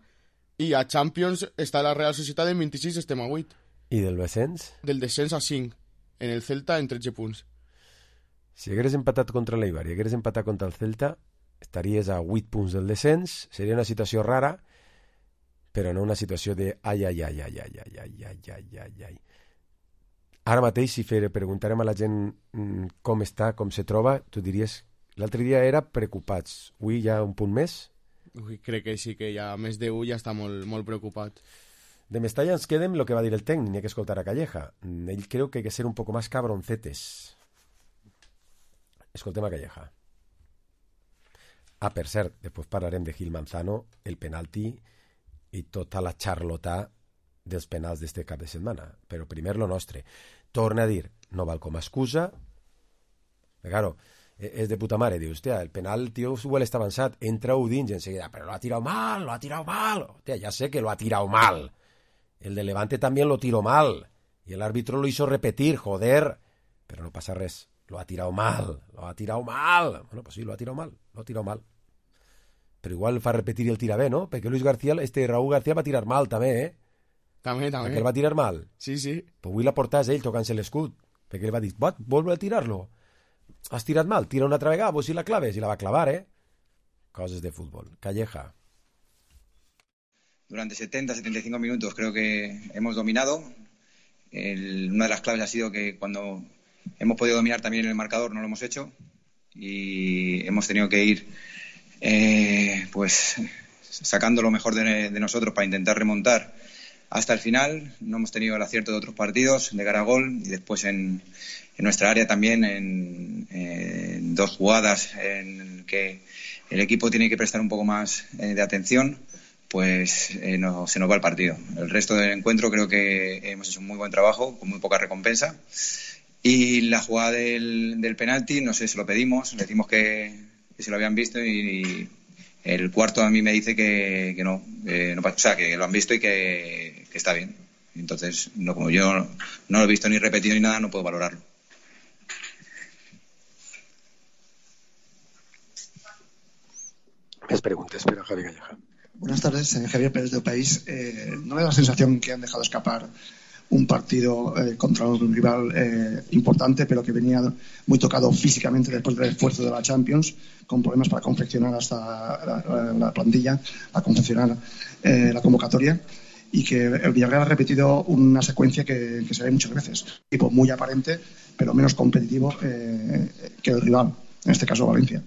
S4: i a Champions està la Real Societat en vint-i-sis, estem a vuit.
S3: I del descens?
S4: Del descens a cinc, en el Celta en tretze punts.
S3: Si hagueres empatat contra l'Eibar i hagueres empatat contra el Celta, estaries a vuit punts del descens, seria una situació rara, però no una situació de ai, ai, ai, ai, ai, ai, ai, ai, ai, ai, ai. Ara mateix, si fer, preguntarem a la gent mm, com està, com se troba, tu diries, l'altre dia era preocupats, avui hi ha un punt més?
S4: Ui, crec que sí, que ja més d'un ja està molt, molt preocupat.
S3: De Mestalla ens quedem el que va dir el tècnic, n'hi ha que escoltar a Calleja. Ell creu que hay que ser un poco más cabroncetes. Escoltem a Calleja. Ah, per cert, després parlarem de Gil Manzano, el penalti i tota la xarlotà dels penals d'este cap de setmana. Però primer lo nostre. Torna a dir, no val com a excusa. Claro, és de puta mare. Diu, hòstia, el penal, tio, igual està avançat. Entra-ho dins i enseguida, però lo ha tirado mal, lo ha tirado mal. Hòstia, ya sé que lo ha tirado mal. El de Levante también lo tiró mal. Y el árbitro lo hizo repetir, joder. Pero no pasa res. Lo ha tirado mal, lo ha tirado mal. Bueno, pues sí, lo ha tirado mal, lo ha tirado mal. Però igual fa repetir i el tira bé, no? Perquè Luis García, este Raúl García va tirar mal també, eh?
S4: També, també.
S3: Perquè el va tirar mal.
S4: Sí, sí.
S3: Però avui la portàs ell tocant-se l'escut. Perquè ell va dir, va, vol a tirar-lo. Has tirat mal, tira una altra vegada, vos si la claves. I la va clavar, eh? Coses de fútbol. Calleja.
S17: Durante setenta, setenta y cinco minutos creo que hemos dominado. El, una de las claves ha sido que cuando hemos podido dominar también el marcador no lo hemos hecho. Y hemos tenido que ir Eh, pues sacando lo mejor de, de nosotros para intentar remontar hasta el final. No hemos tenido el acierto de otros partidos de cara a gol y después en, en nuestra área también en, en dos jugadas en que el equipo tiene que prestar un poco más eh, de atención, pues eh, no, se nos va el partido. El resto del encuentro creo que hemos hecho un muy buen trabajo con muy poca recompensa. Y la jugada del, del penalti, no sé, se lo pedimos, le decimos que que se lo habían visto y el cuarto a mí me dice que, que no, eh, no, o sea, que lo han visto y que, que está bien. Entonces, no, como yo no lo he visto ni repetido ni nada, no puedo valorarlo.
S3: Más preguntas, pero Javi Calleja.
S18: Buenas tardes, Javier Pérez de País. Eh, ¿No me da la sensación que han dejado escapar un partido eh, contra un rival eh, importante, pero que venía muy tocado físicamente después del esfuerzo de la Champions, con problemas para confeccionar hasta la, la, la plantilla, para confeccionar eh, la convocatoria, y que el Villarreal ha repetido una secuencia que, que se ve muchas veces, tipo muy aparente, pero menos competitivo eh, que el rival, en este caso Valencia?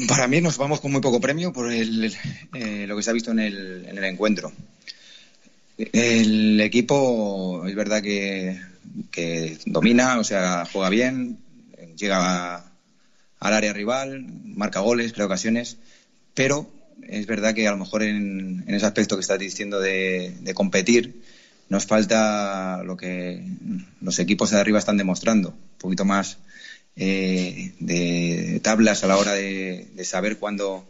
S17: Para mí nos vamos con muy poco premio por el, eh, lo que se ha visto en el, en el encuentro. El equipo es verdad que, que domina, o sea, juega bien, llega a, al área rival, marca goles, crea ocasiones, pero es verdad que a lo mejor en, en ese aspecto que estás diciendo de, de competir nos falta lo que los equipos de arriba están demostrando, un poquito más eh, de tablas a la hora de, de saber cuándo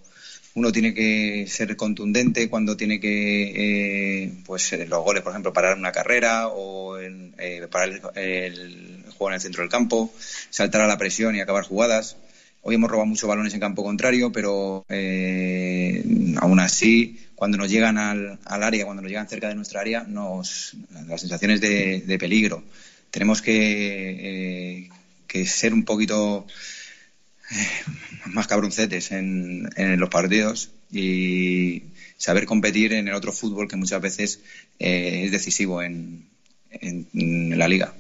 S17: uno tiene que ser contundente, cuando tiene que, eh, pues los goles, por ejemplo, parar una carrera o en, eh, parar el, el juego en el centro del campo, saltar a la presión y acabar jugadas. Hoy hemos robado muchos balones en campo contrario, pero eh, aún así, cuando nos llegan al, al área, cuando nos llegan cerca de nuestra área, nos las sensaciones de, de peligro. Tenemos que, eh, que ser un poquito más cabroncetes en, en los partidos y saber competir en el otro fútbol que muchas veces eh, es decisivo en, en, en la liga.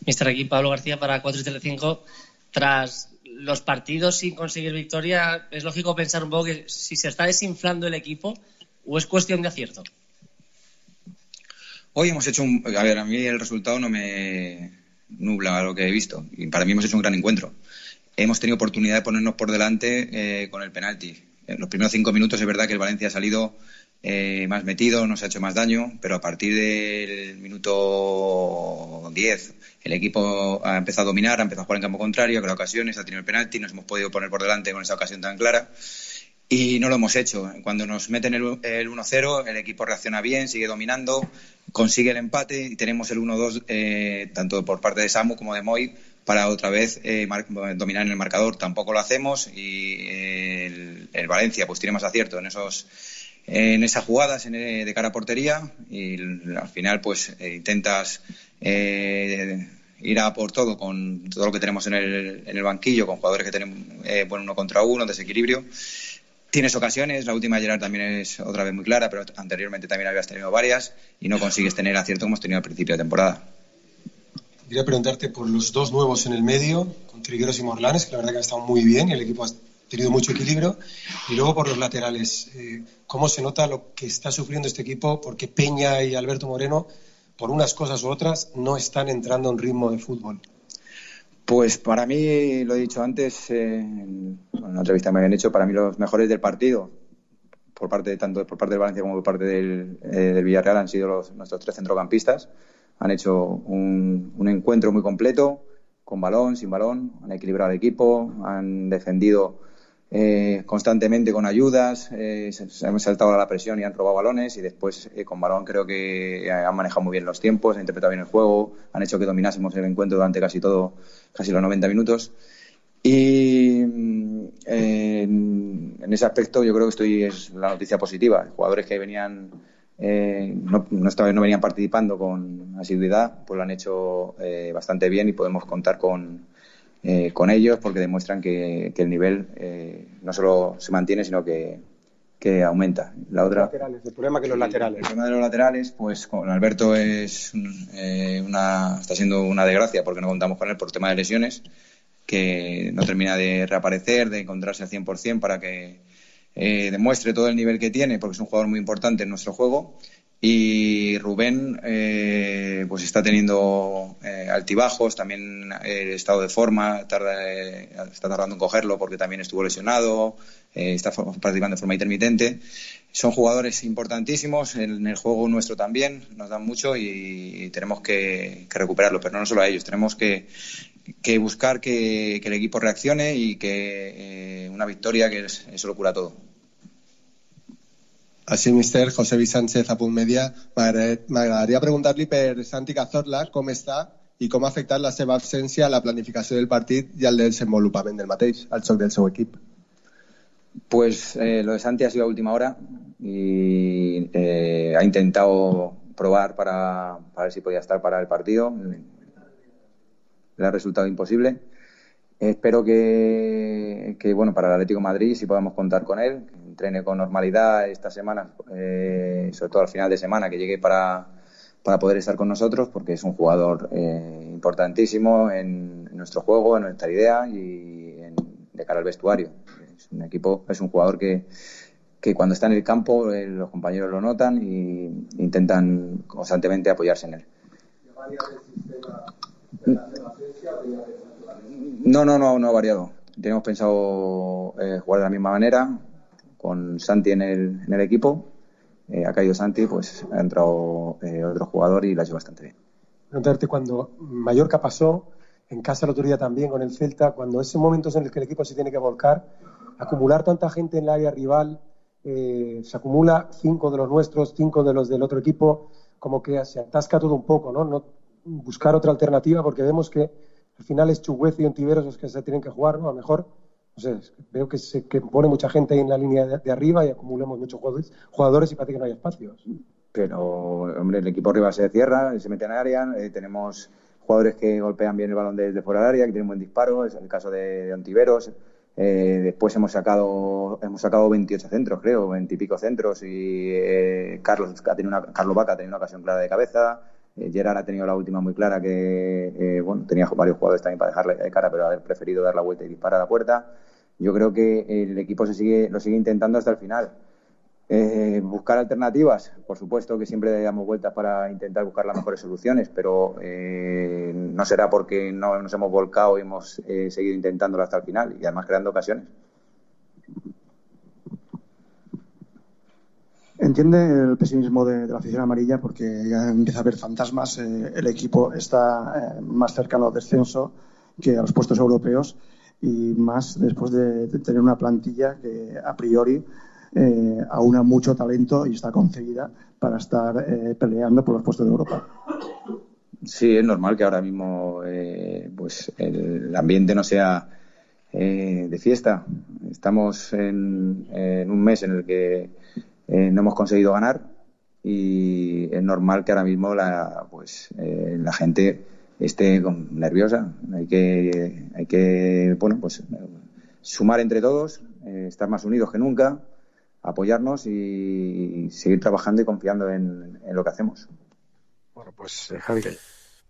S19: Mister aquí Pablo García para cuatro y Telecinco. Tras los partidos sin conseguir victoria, es lógico pensar un poco que si se está desinflando el equipo o es cuestión de acierto.
S17: Hoy hemos hecho un... A ver, a mí el resultado no me nubla lo que he visto y para mí hemos hecho un gran encuentro. Hemos tenido oportunidad de ponernos por delante eh, con el penalti. En los primeros cinco minutos es verdad que el Valencia ha salido eh, más metido, nos ha hecho más daño, pero a partir del minuto diez el equipo ha empezado a dominar, ha empezado a jugar en campo contrario, ha creado ocasiones, ha tenido el penalti, nos hemos podido poner por delante con esa ocasión tan clara y no lo hemos hecho. Cuando nos meten el, el uno cero, el equipo reacciona bien, sigue dominando, consigue el empate y tenemos el uno dos eh, tanto por parte de Samu como de Moy para otra vez eh, mar- dominar en el marcador. Tampoco lo hacemos y eh, el, el Valencia pues tiene más acierto en esos en esas jugadas en, eh, de cara a portería y el, al final pues eh, intentas eh, ir a por todo con todo lo que tenemos en el, en el banquillo, con jugadores que tenemos eh, bueno, uno contra uno, desequilibrio. Tienes ocasiones, la última de Gerard también es otra vez muy clara, pero anteriormente también habías tenido varias y no consigues tener acierto como hemos tenido al principio de temporada.
S20: Quería preguntarte por los dos nuevos en el medio, con Trigueros y Morlanes, que la verdad que han estado muy bien y el equipo ha tenido mucho equilibrio, y luego por los laterales. Eh, ¿Cómo se nota lo que está sufriendo este equipo? Porque Peña y Alberto Moreno, por unas cosas u otras, no están entrando en ritmo de fútbol.
S17: Pues para mí, lo he dicho antes, eh, en una entrevista que me habían hecho, para mí los mejores del partido, por parte de, tanto por parte del Valencia como por parte del, eh, del Villarreal, han sido los, nuestros tres centrocampistas. Han hecho un, un encuentro muy completo, con balón, sin balón, han equilibrado el equipo, han defendido eh, constantemente con ayudas, eh, se, se han saltado a la presión y han robado balones, y después eh, con balón creo que han manejado muy bien los tiempos, han interpretado bien el juego, han hecho que dominásemos el encuentro durante casi todo, casi los noventa minutos. Y eh, en, en ese aspecto yo creo que estoy es la noticia positiva. Jugadores que venían eh, no, no, estaban, no venían participando con asiduidad, pues lo han hecho eh, bastante bien, y podemos contar con, eh, con ellos, porque demuestran que, que el nivel eh, no solo se mantiene, sino que, que aumenta. La otra,
S3: laterales, el problema que los laterales.
S17: El tema de los laterales, pues con Alberto es eh, una está siendo una desgracia, porque no contamos con él por tema de lesiones, que no termina de reaparecer, de encontrarse al cien por ciento para que eh, demuestre todo el nivel que tiene, porque es un jugador muy importante en nuestro juego. Y Rubén eh, pues está teniendo eh, altibajos, también el estado de forma tarda, eh, está tardando en cogerlo, porque también estuvo lesionado, eh, está participando de forma intermitente. Son jugadores importantísimos en el juego nuestro también, nos dan mucho, y, y tenemos que, que recuperarlo, pero no solo a ellos, tenemos que, que buscar que, que el equipo reaccione, y que eh, una victoria, que es, eso lo cura todo.
S21: Així, mister, José Luis Sánchez, a Punt Media. M'agradaria preguntar-li per Santi Cazorla com està i com ha afectat la seva absència a la planificació del partit i al desenvolupament del mateix, al joc del seu equip.
S17: Pues eh, lo de Santi ha sido a última hora, y eh, ha intentado probar para, para ver si podía estar para el partido. Le ha resultado imposible. Espero que, que bueno, para el Atlético de Madrid sí podamos contar con él, que entrene con normalidad esta semana, eh, sobre todo al final de semana, que llegue para, para poder estar con nosotros, porque es un jugador eh, importantísimo en, en nuestro juego, en nuestra idea, y en, de cara al vestuario. Es un equipo, es un jugador que, que cuando está en el campo eh, los compañeros lo notan y intentan constantemente apoyarse en él. No, no, no, no ha variado. Tenemos pensado eh, jugar de la misma manera, con Santi en el, en el equipo. Eh, ha caído Santi, pues ha entrado eh, otro jugador y lo ha hecho bastante bien.
S22: Preguntarte, cuando Mallorca pasó, en casa el otro día también con el Celta, cuando esos momentos en los que el equipo se tiene que volcar, acumular tanta gente en el área rival, eh, se acumula cinco de los nuestros, cinco de los del otro equipo, como que se atasca todo un poco, ¿no? No buscar otra alternativa, porque vemos que al final es Chuguez y Ontiveros los que se tienen que jugar, ¿no? A lo mejor, no sé, veo que se que pone mucha gente ahí en la línea de, de arriba y acumulamos muchos jugadores, jugadores y parece que no hay espacios.
S17: Pero, hombre, el equipo rival se cierra, se mete en el área, eh, tenemos jugadores que golpean bien el balón desde fuera del área, que tienen buen disparo, es el caso de, de Ontiveros. Eh, después hemos sacado hemos sacado veintiocho centros, creo, veinte y pico centros, y eh, Carlos, ha tenido una, Carlos Vaca ha tenido una ocasión clara de cabeza. Gerard ha tenido la última muy clara, que eh, bueno, tenía varios jugadores también para dejarle de cara, pero haber preferido dar la vuelta y disparar a la puerta. Yo creo que el equipo se sigue lo sigue intentando hasta el final. Eh, buscar alternativas, por supuesto que siempre damos vueltas para intentar buscar las mejores soluciones, pero eh, no será porque no nos hemos volcado y hemos eh, seguido intentándolo hasta el final, y además creando ocasiones.
S18: Entiende el pesimismo de, de la afición amarilla, porque ya empieza a haber fantasmas. Eh, el equipo está eh, más cercano al descenso que a los puestos europeos, y más después de, de tener una plantilla que a priori eh, aúna mucho talento y está concebida para estar eh, peleando por los puestos de Europa.
S17: Sí, es normal que ahora mismo eh, pues el ambiente no sea eh, de fiesta. Estamos en, en un mes en el que Eh, no hemos conseguido ganar, y es normal que ahora mismo la pues eh, la gente esté con, nerviosa. Hay que hay que bueno pues sumar entre todos, eh, estar más unidos que nunca, apoyarnos y, y seguir trabajando y confiando en, en lo que hacemos.
S3: Bueno, pues eh, Javi.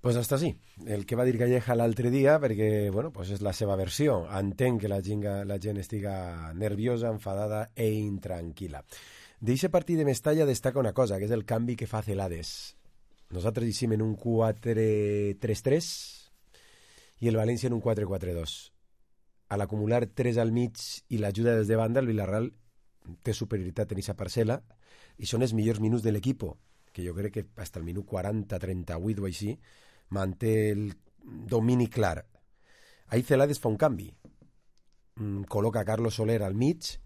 S3: Pues hasta sí. El que va dir Calleja l'altre dia, perquè, bueno, pues és la seva versió. Entenc que la gent, la gent estiga nerviosa, enfadada e intranquil·la. D'eixe partit de Mestalla destaca una cosa, que és el canvi que fa Celades. Nosaltres hicim en un quatre tres tres i el València en un quatre quatre dos. Al acumular tres al mig i l'ajuda des de banda, el Villarreal té superioritat en aquesta parcel·la i són els millors minuts de l'equip, que jo crec que fins al minut quaranta trenta-vuit o així manté el domini clar. Ahí Celades fa un canvi, mm, col·loca Carlos Soler al mig,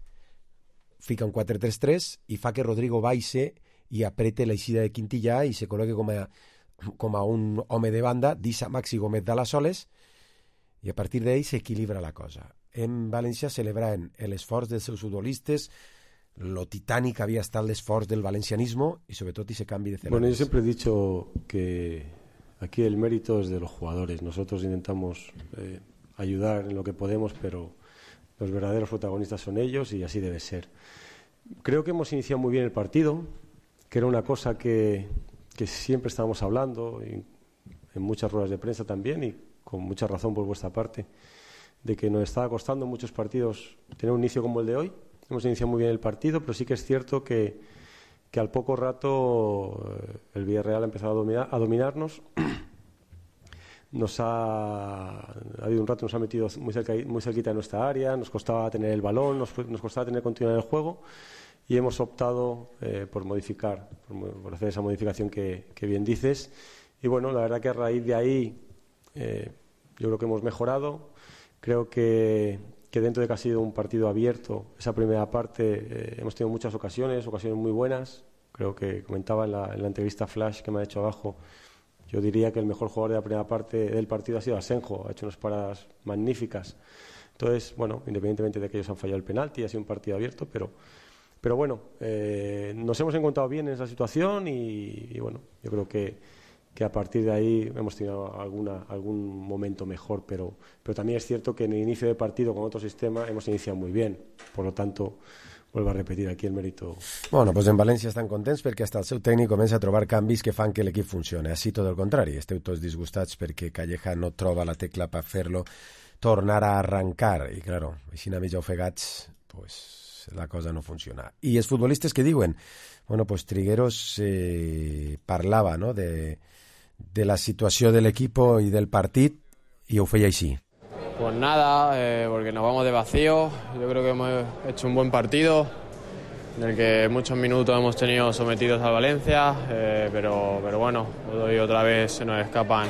S3: fica un quatre tres tres i fa que Rodrigo baixe i aprete l'eixida de Quintillà i se col·loque com a, com a un home de banda, deixa Maxi Gómez de les soles i a partir d'ell s'equilibra la cosa. En València celebraven l'esforç dels seus futbolistes, lo titànic havia estat l'esforç del valencianismo y sobre todo ese cambio de Celades.
S2: Bueno, yo siempre he dicho que aquí el mérito es de los jugadores. Nosotros intentamos eh, ayudar en lo que podemos, pero los verdaderos protagonistas son ellos y así debe ser. Creo que hemos iniciado muy bien el partido, que era una cosa que, que siempre estábamos hablando y en muchas ruedas de prensa también, y con mucha razón por vuestra parte, de que nos estaba costando en muchos partidos tener un inicio como el de hoy. Hemos iniciado muy bien el partido, pero sí que es cierto que, que al poco rato eh, el Villarreal ha empezado a, dominar, a dominarnos. Nos ha, ha habido un rato, nos ha metido muy, cerca, muy cerquita de nuestra área, nos costaba tener el balón, nos, nos costaba tener continuidad en el juego y hemos optado eh, por modificar, por, por hacer esa modificación que, que bien dices. Y bueno, la verdad que a raíz de ahí eh, yo creo que hemos mejorado. Creo que, que dentro de que ha sido un partido abierto, esa primera parte eh, hemos tenido muchas ocasiones, ocasiones muy buenas. Creo que comentaba en la, en la entrevista flash que me ha hecho abajo, yo diría que el mejor jugador de la primera parte del partido ha sido Asenjo, ha hecho unas paradas magníficas. Entonces, bueno, independientemente de que ellos han fallado el penalti, ha sido un partido abierto, pero, pero bueno, eh, nos hemos encontrado bien en esa situación y, y bueno, yo creo que, que a partir de ahí hemos tenido alguna, algún momento mejor, pero, pero también es cierto que en el inicio de partido con otro sistema hemos iniciado muy bien, por lo tanto vuelvo a repetir aquí el mérito.
S3: Bueno, pues en València estan contents perquè hasta el seu tècnic comença a trobar canvis que fan que l'equip funcione. Així tot el contrari, esteu tots disgustats perquè Calleja no troba la tecla per fer-lo tornar a arrancar. I, claro, així a mig ofegats, pues la cosa no funciona. I els futbolistes que diuen, bueno, pues Trigueros eh, parlava, ¿no?, de, de la situació de l'equip i del partit i ho feia així.
S5: Pues nada, eh, porque nos vamos de vacío. Yo creo que hemos hecho un buen partido, en el que muchos minutos hemos tenido sometidos al Valencia, eh, pero, pero bueno, hoy otra vez se nos escapan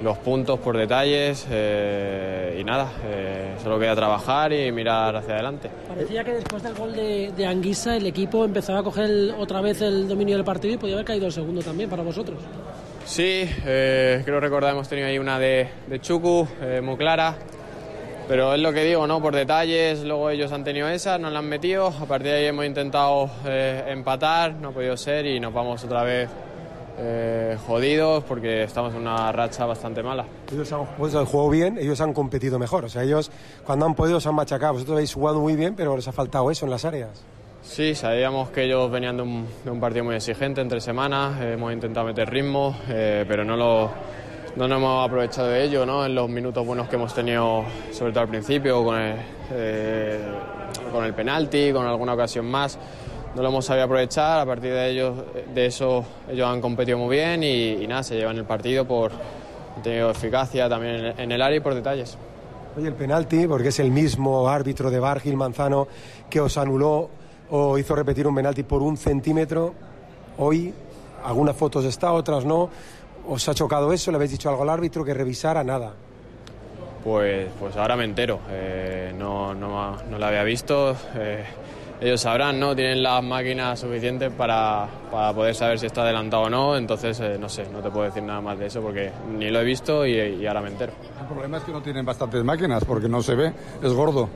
S5: los puntos por detalles eh, y nada, eh, solo queda trabajar y mirar hacia adelante.
S23: Parecía que después del gol de, de Anguissa el equipo empezaba a coger el, otra vez el dominio del partido y podía haber caído el segundo también para vosotros.
S5: Sí, eh, creo recordar hemos tenido ahí una de, de Chuku, eh, muy clara, pero es lo que digo, ¿no? Por detalles, luego ellos han tenido esa, nos la han metido, a partir de ahí hemos intentado eh, empatar, no ha podido ser y nos vamos otra vez eh, jodidos porque estamos en una racha bastante mala.
S22: Ellos han, pues, han jugado bien, ellos han competido mejor, o sea, ellos cuando han podido se han machacado, vosotros habéis jugado muy bien, pero les ha faltado eso en las áreas.
S5: Sí, sabíamos que ellos venían de un, de un partido muy exigente entre semanas, eh, hemos intentado meter ritmo, eh, pero no, lo, no nos hemos aprovechado de ello, ¿no? En los minutos buenos que hemos tenido, sobre todo al principio, con el, eh, con el penalti, con alguna ocasión más, no lo hemos sabido aprovechar. A partir de, ellos, de eso ellos han competido muy bien y, y nada, se llevan el partido por han tenido eficacia también en, en el área y por detalles.
S22: Oye, el penalti, porque es el mismo árbitro de V A R, Gil Manzano, que os anuló o hizo repetir un penalti por un centímetro. Hoy, algunas fotos está, otras no. ¿Os ha chocado eso? ¿Le habéis dicho algo al árbitro que revisara? Nada.
S5: Pues, pues ahora me entero. Eh, no, no, no lo había visto. Eh, ellos sabrán, ¿no? Tienen las máquinas suficientes para, para poder saber si está adelantado o no. Entonces, eh, no sé, no te puedo decir nada más de eso porque ni lo he visto y, y ahora me entero.
S24: El problema es que no tienen bastantes máquinas porque no se ve, es gordo.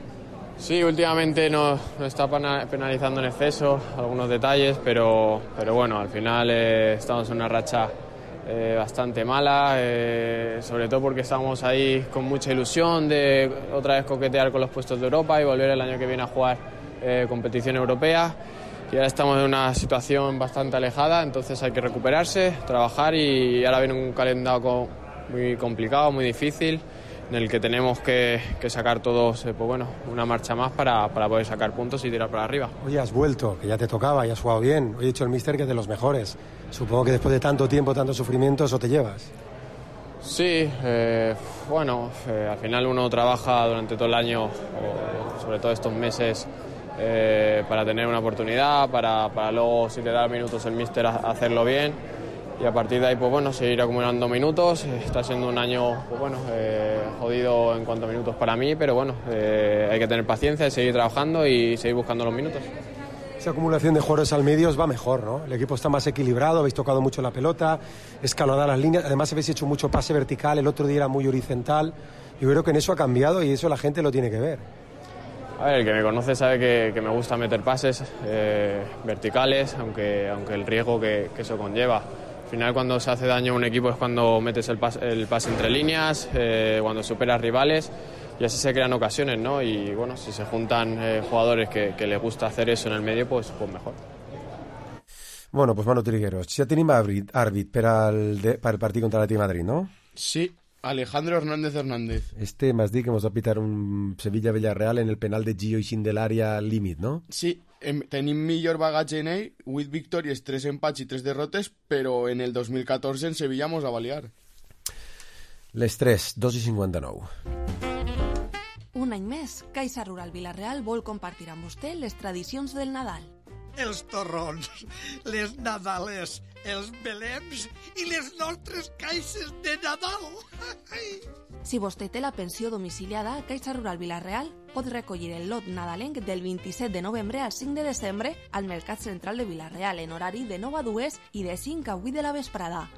S5: Sí, últimamente nos, nos está penalizando en exceso algunos detalles, pero, pero bueno, al final eh, estamos en una racha eh, bastante mala, eh, sobre todo porque estamos ahí con mucha ilusión de otra vez coquetear con los puestos de Europa y volver el año que viene a jugar eh, competición europea. Y ahora estamos en una situación bastante alejada, entonces hay que recuperarse, trabajar y ahora viene un calendario muy complicado, muy difícil, en el que tenemos que, que sacar todos, eh, pues bueno, una marcha más para, para poder sacar puntos y tirar para arriba.
S22: Oye, has vuelto, que ya te tocaba y has jugado bien. Hoy he dicho el míster que es de los mejores. Supongo que después de tanto tiempo, tanto sufrimiento, eso te llevas.
S5: Sí, eh, bueno, eh, al final uno trabaja durante todo el año, o sobre todo estos meses, eh, para tener una oportunidad, para, para luego, si te da minutos el míster, hacerlo bien, y a partir de ahí, pues bueno, seguir acumulando minutos. Está siendo un año, pues bueno, eh, jodido en cuanto a minutos para mí, pero bueno, eh, hay que tener paciencia, seguir trabajando y seguir buscando los minutos.
S22: Esa acumulación de jugadores al medio os va mejor, ¿no? El equipo está más equilibrado, habéis tocado mucho la pelota, escalonado las líneas, además habéis hecho mucho pase vertical, el otro día era muy horizontal. Yo creo que en eso ha cambiado y eso la gente lo tiene que ver.
S5: A ver, el que me conoce sabe que, que me gusta meter pases eh, verticales, aunque, aunque el riesgo que, que eso conlleva. Al final, cuando se hace daño a un equipo es cuando metes el pase, el pase entre líneas, eh, cuando superas rivales, y así se crean ocasiones, ¿no? Y bueno, si se juntan eh, jugadores que, que les gusta hacer eso en el medio, pues, pues mejor.
S3: Bueno, pues Manu Trigueros, ja tenim àrbit, àrbit per, al de, per el partit contra l'Atlètic de Madrid, no?
S4: Sí, Alejandro Hernández Hernández.
S3: Este m'has dit que mos va pitar un Sevilla-Villarreal en el penal de Gio i de l'àrea límit, no?
S4: Sí, em, tenim millor bagatge en ell, vuit victòries, tres empats i tres derrotes, però en el dos mil catorze en Sevilla mos va balear.
S3: Les tres, dos i cinquanta-nou.
S12: Un any més, Caixa Rural Vila-real vol compartir amb vostè les tradicions del Nadal.
S6: Els torrons, les nadales, els belems i les nostres caixes de Nadal.
S12: Si vostè té la pensió domiciliada, Caixa Rural Vila-real pot recollir el lot nadalenc del vint-i-set de novembre al cinc de desembre al Mercat Central de Vila-real en horari de nou a dues i de cinc a vuit de la vesprada.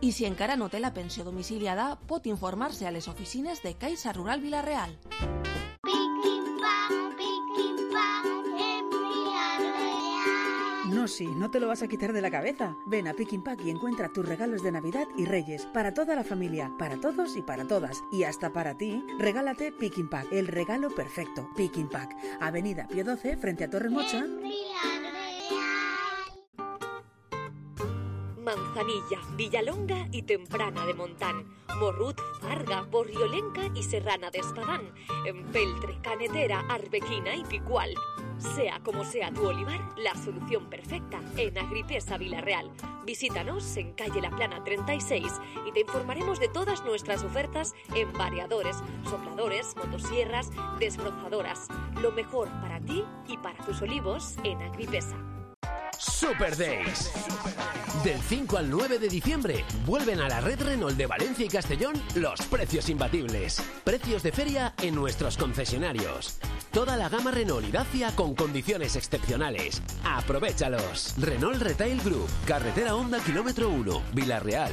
S12: I si encara no té la pensió domiciliada, pot informar-se a les oficines de Caixa Rural Vila-real.
S7: No, sí, no te lo vas a quitar de la cabeza. Ven a Pick and Pack y encuentra tus regalos de Navidad y Reyes para toda la familia, para todos y para todas. Y hasta para ti, regálate Pick and Pack, el regalo perfecto. Pick and Pack, Avenida Pío doce, frente a Torre Mocha.
S9: Manzanilla, Villalonga y Temprana de Montán, Morrut, Farga, Borriolenca y Serrana de Espadán, Empeltre, Canetera, Arbequina y Picual. Sea como sea tu olivar, la solución perfecta en Agripesa Vila-real. Visítanos en calle La Plana treinta y seis y te informaremos de todas nuestras ofertas en variadores, sopladores, motosierras, desbrozadoras. Lo mejor para ti y para tus olivos en Agripesa.
S8: Super Days. Del cinco al nueve de diciembre vuelven a la red Renault de Valencia y Castellón los precios imbatibles. Precios de feria en nuestros concesionarios. Toda la gama Renault y Dacia con condiciones excepcionales. ¡Aprovéchalos! Renault Retail Group, carretera Honda kilómetro uno, Vila-real.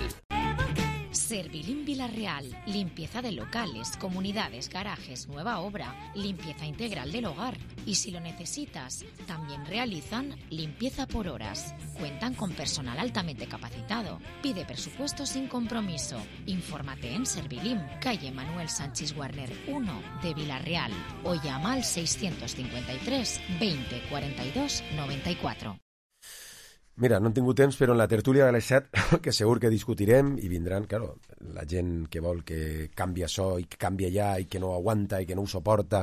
S1: Servilim Vila-real, limpieza de locales, comunidades, garajes, nueva obra, limpieza integral del hogar. Y si lo necesitas, también realizan limpieza por horas. Cuentan con personal altamente capacitado. Pide presupuesto sin compromiso. Infórmate en Servilim, calle Manuel Sánchez Warner uno de Vila-real o llama al seiscientos cincuenta y tres, veinte, cuarenta y dos, noventa y cuatro.
S3: Mira, no hem tingut temps, però en la tertúlia de les set, que segur que discutirem, i vindran, claro, la gent que vol que canvi això i que canvi allà i que no aguanta i que no ho suporta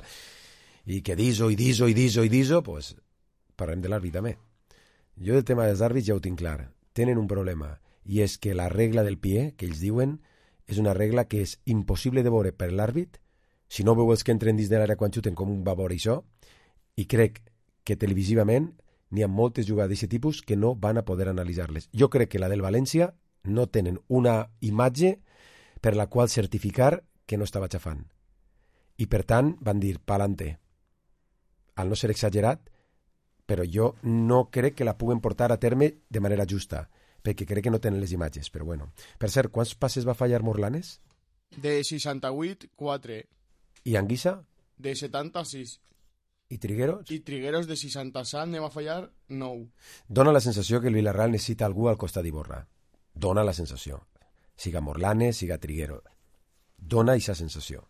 S3: i que diso i diso i diso i diso, pues parlem de l'àrbit també. Jo del tema dels àrbits ja ho tinc clar. Tenen un problema, i és que la regla del pie, que ells diuen, és una regla que és impossible de veure per l'àrbit, si no veu els que entren dins de l'àrea quan xuten com un va veure això, i crec que televisivament n'hi ha moltes jugades d'aquest tipus que no van a poder analitzar-les. Jo crec que la del València no tenen una imatge per la qual certificar que no estava xafant. I per tant van dir pa'lante. Al no ser exagerat, però jo no crec que la puguen portar a terme de manera justa, perquè crec que no tenen les imatges, però bueno. Per cert, quants passes va fallar Morlanes?
S4: De seixanta-vuit, quatre.
S3: I Anguissa?
S4: De setanta-sis.
S3: I Trigueros?
S4: I Trigueros de seixanta-set ne va fallar nou.
S3: Dóna la sensació que el Villarreal necessita algú al costat d'Iborra. Dóna la sensació. Siga Morlanes, siga Trigueros. Dóna aquesta sensació.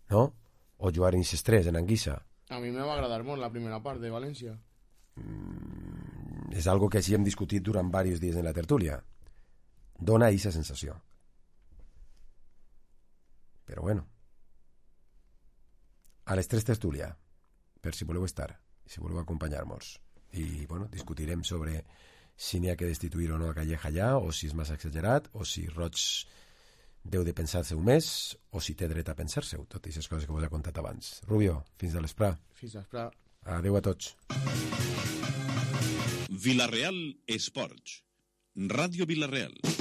S3: No? O jugar en tres, en Anguissa.
S4: A mi me va agradar molt la primera part de València.
S3: Mm, és algo que sí hem discutit durant diversos dies en la tertúlia. Dóna aquesta sensació. Però bueno. A les tres tertúlia, per si voleu estar, si voleu acompanyar-nos. I, bueno, discutirem sobre si n'hi ha que destituir o no a Calleja allà, o si és massa exagerat, o si Roig deu de pensar-se-ho més o si té dret a pensar-se-ho, tot i aquestes coses que vos he contat abans. Rubio, fins a l'esprà.
S4: Fins a l'esprà.
S3: Adéu a tots.
S10: Vila-real Esports. Ràdio Vila-real.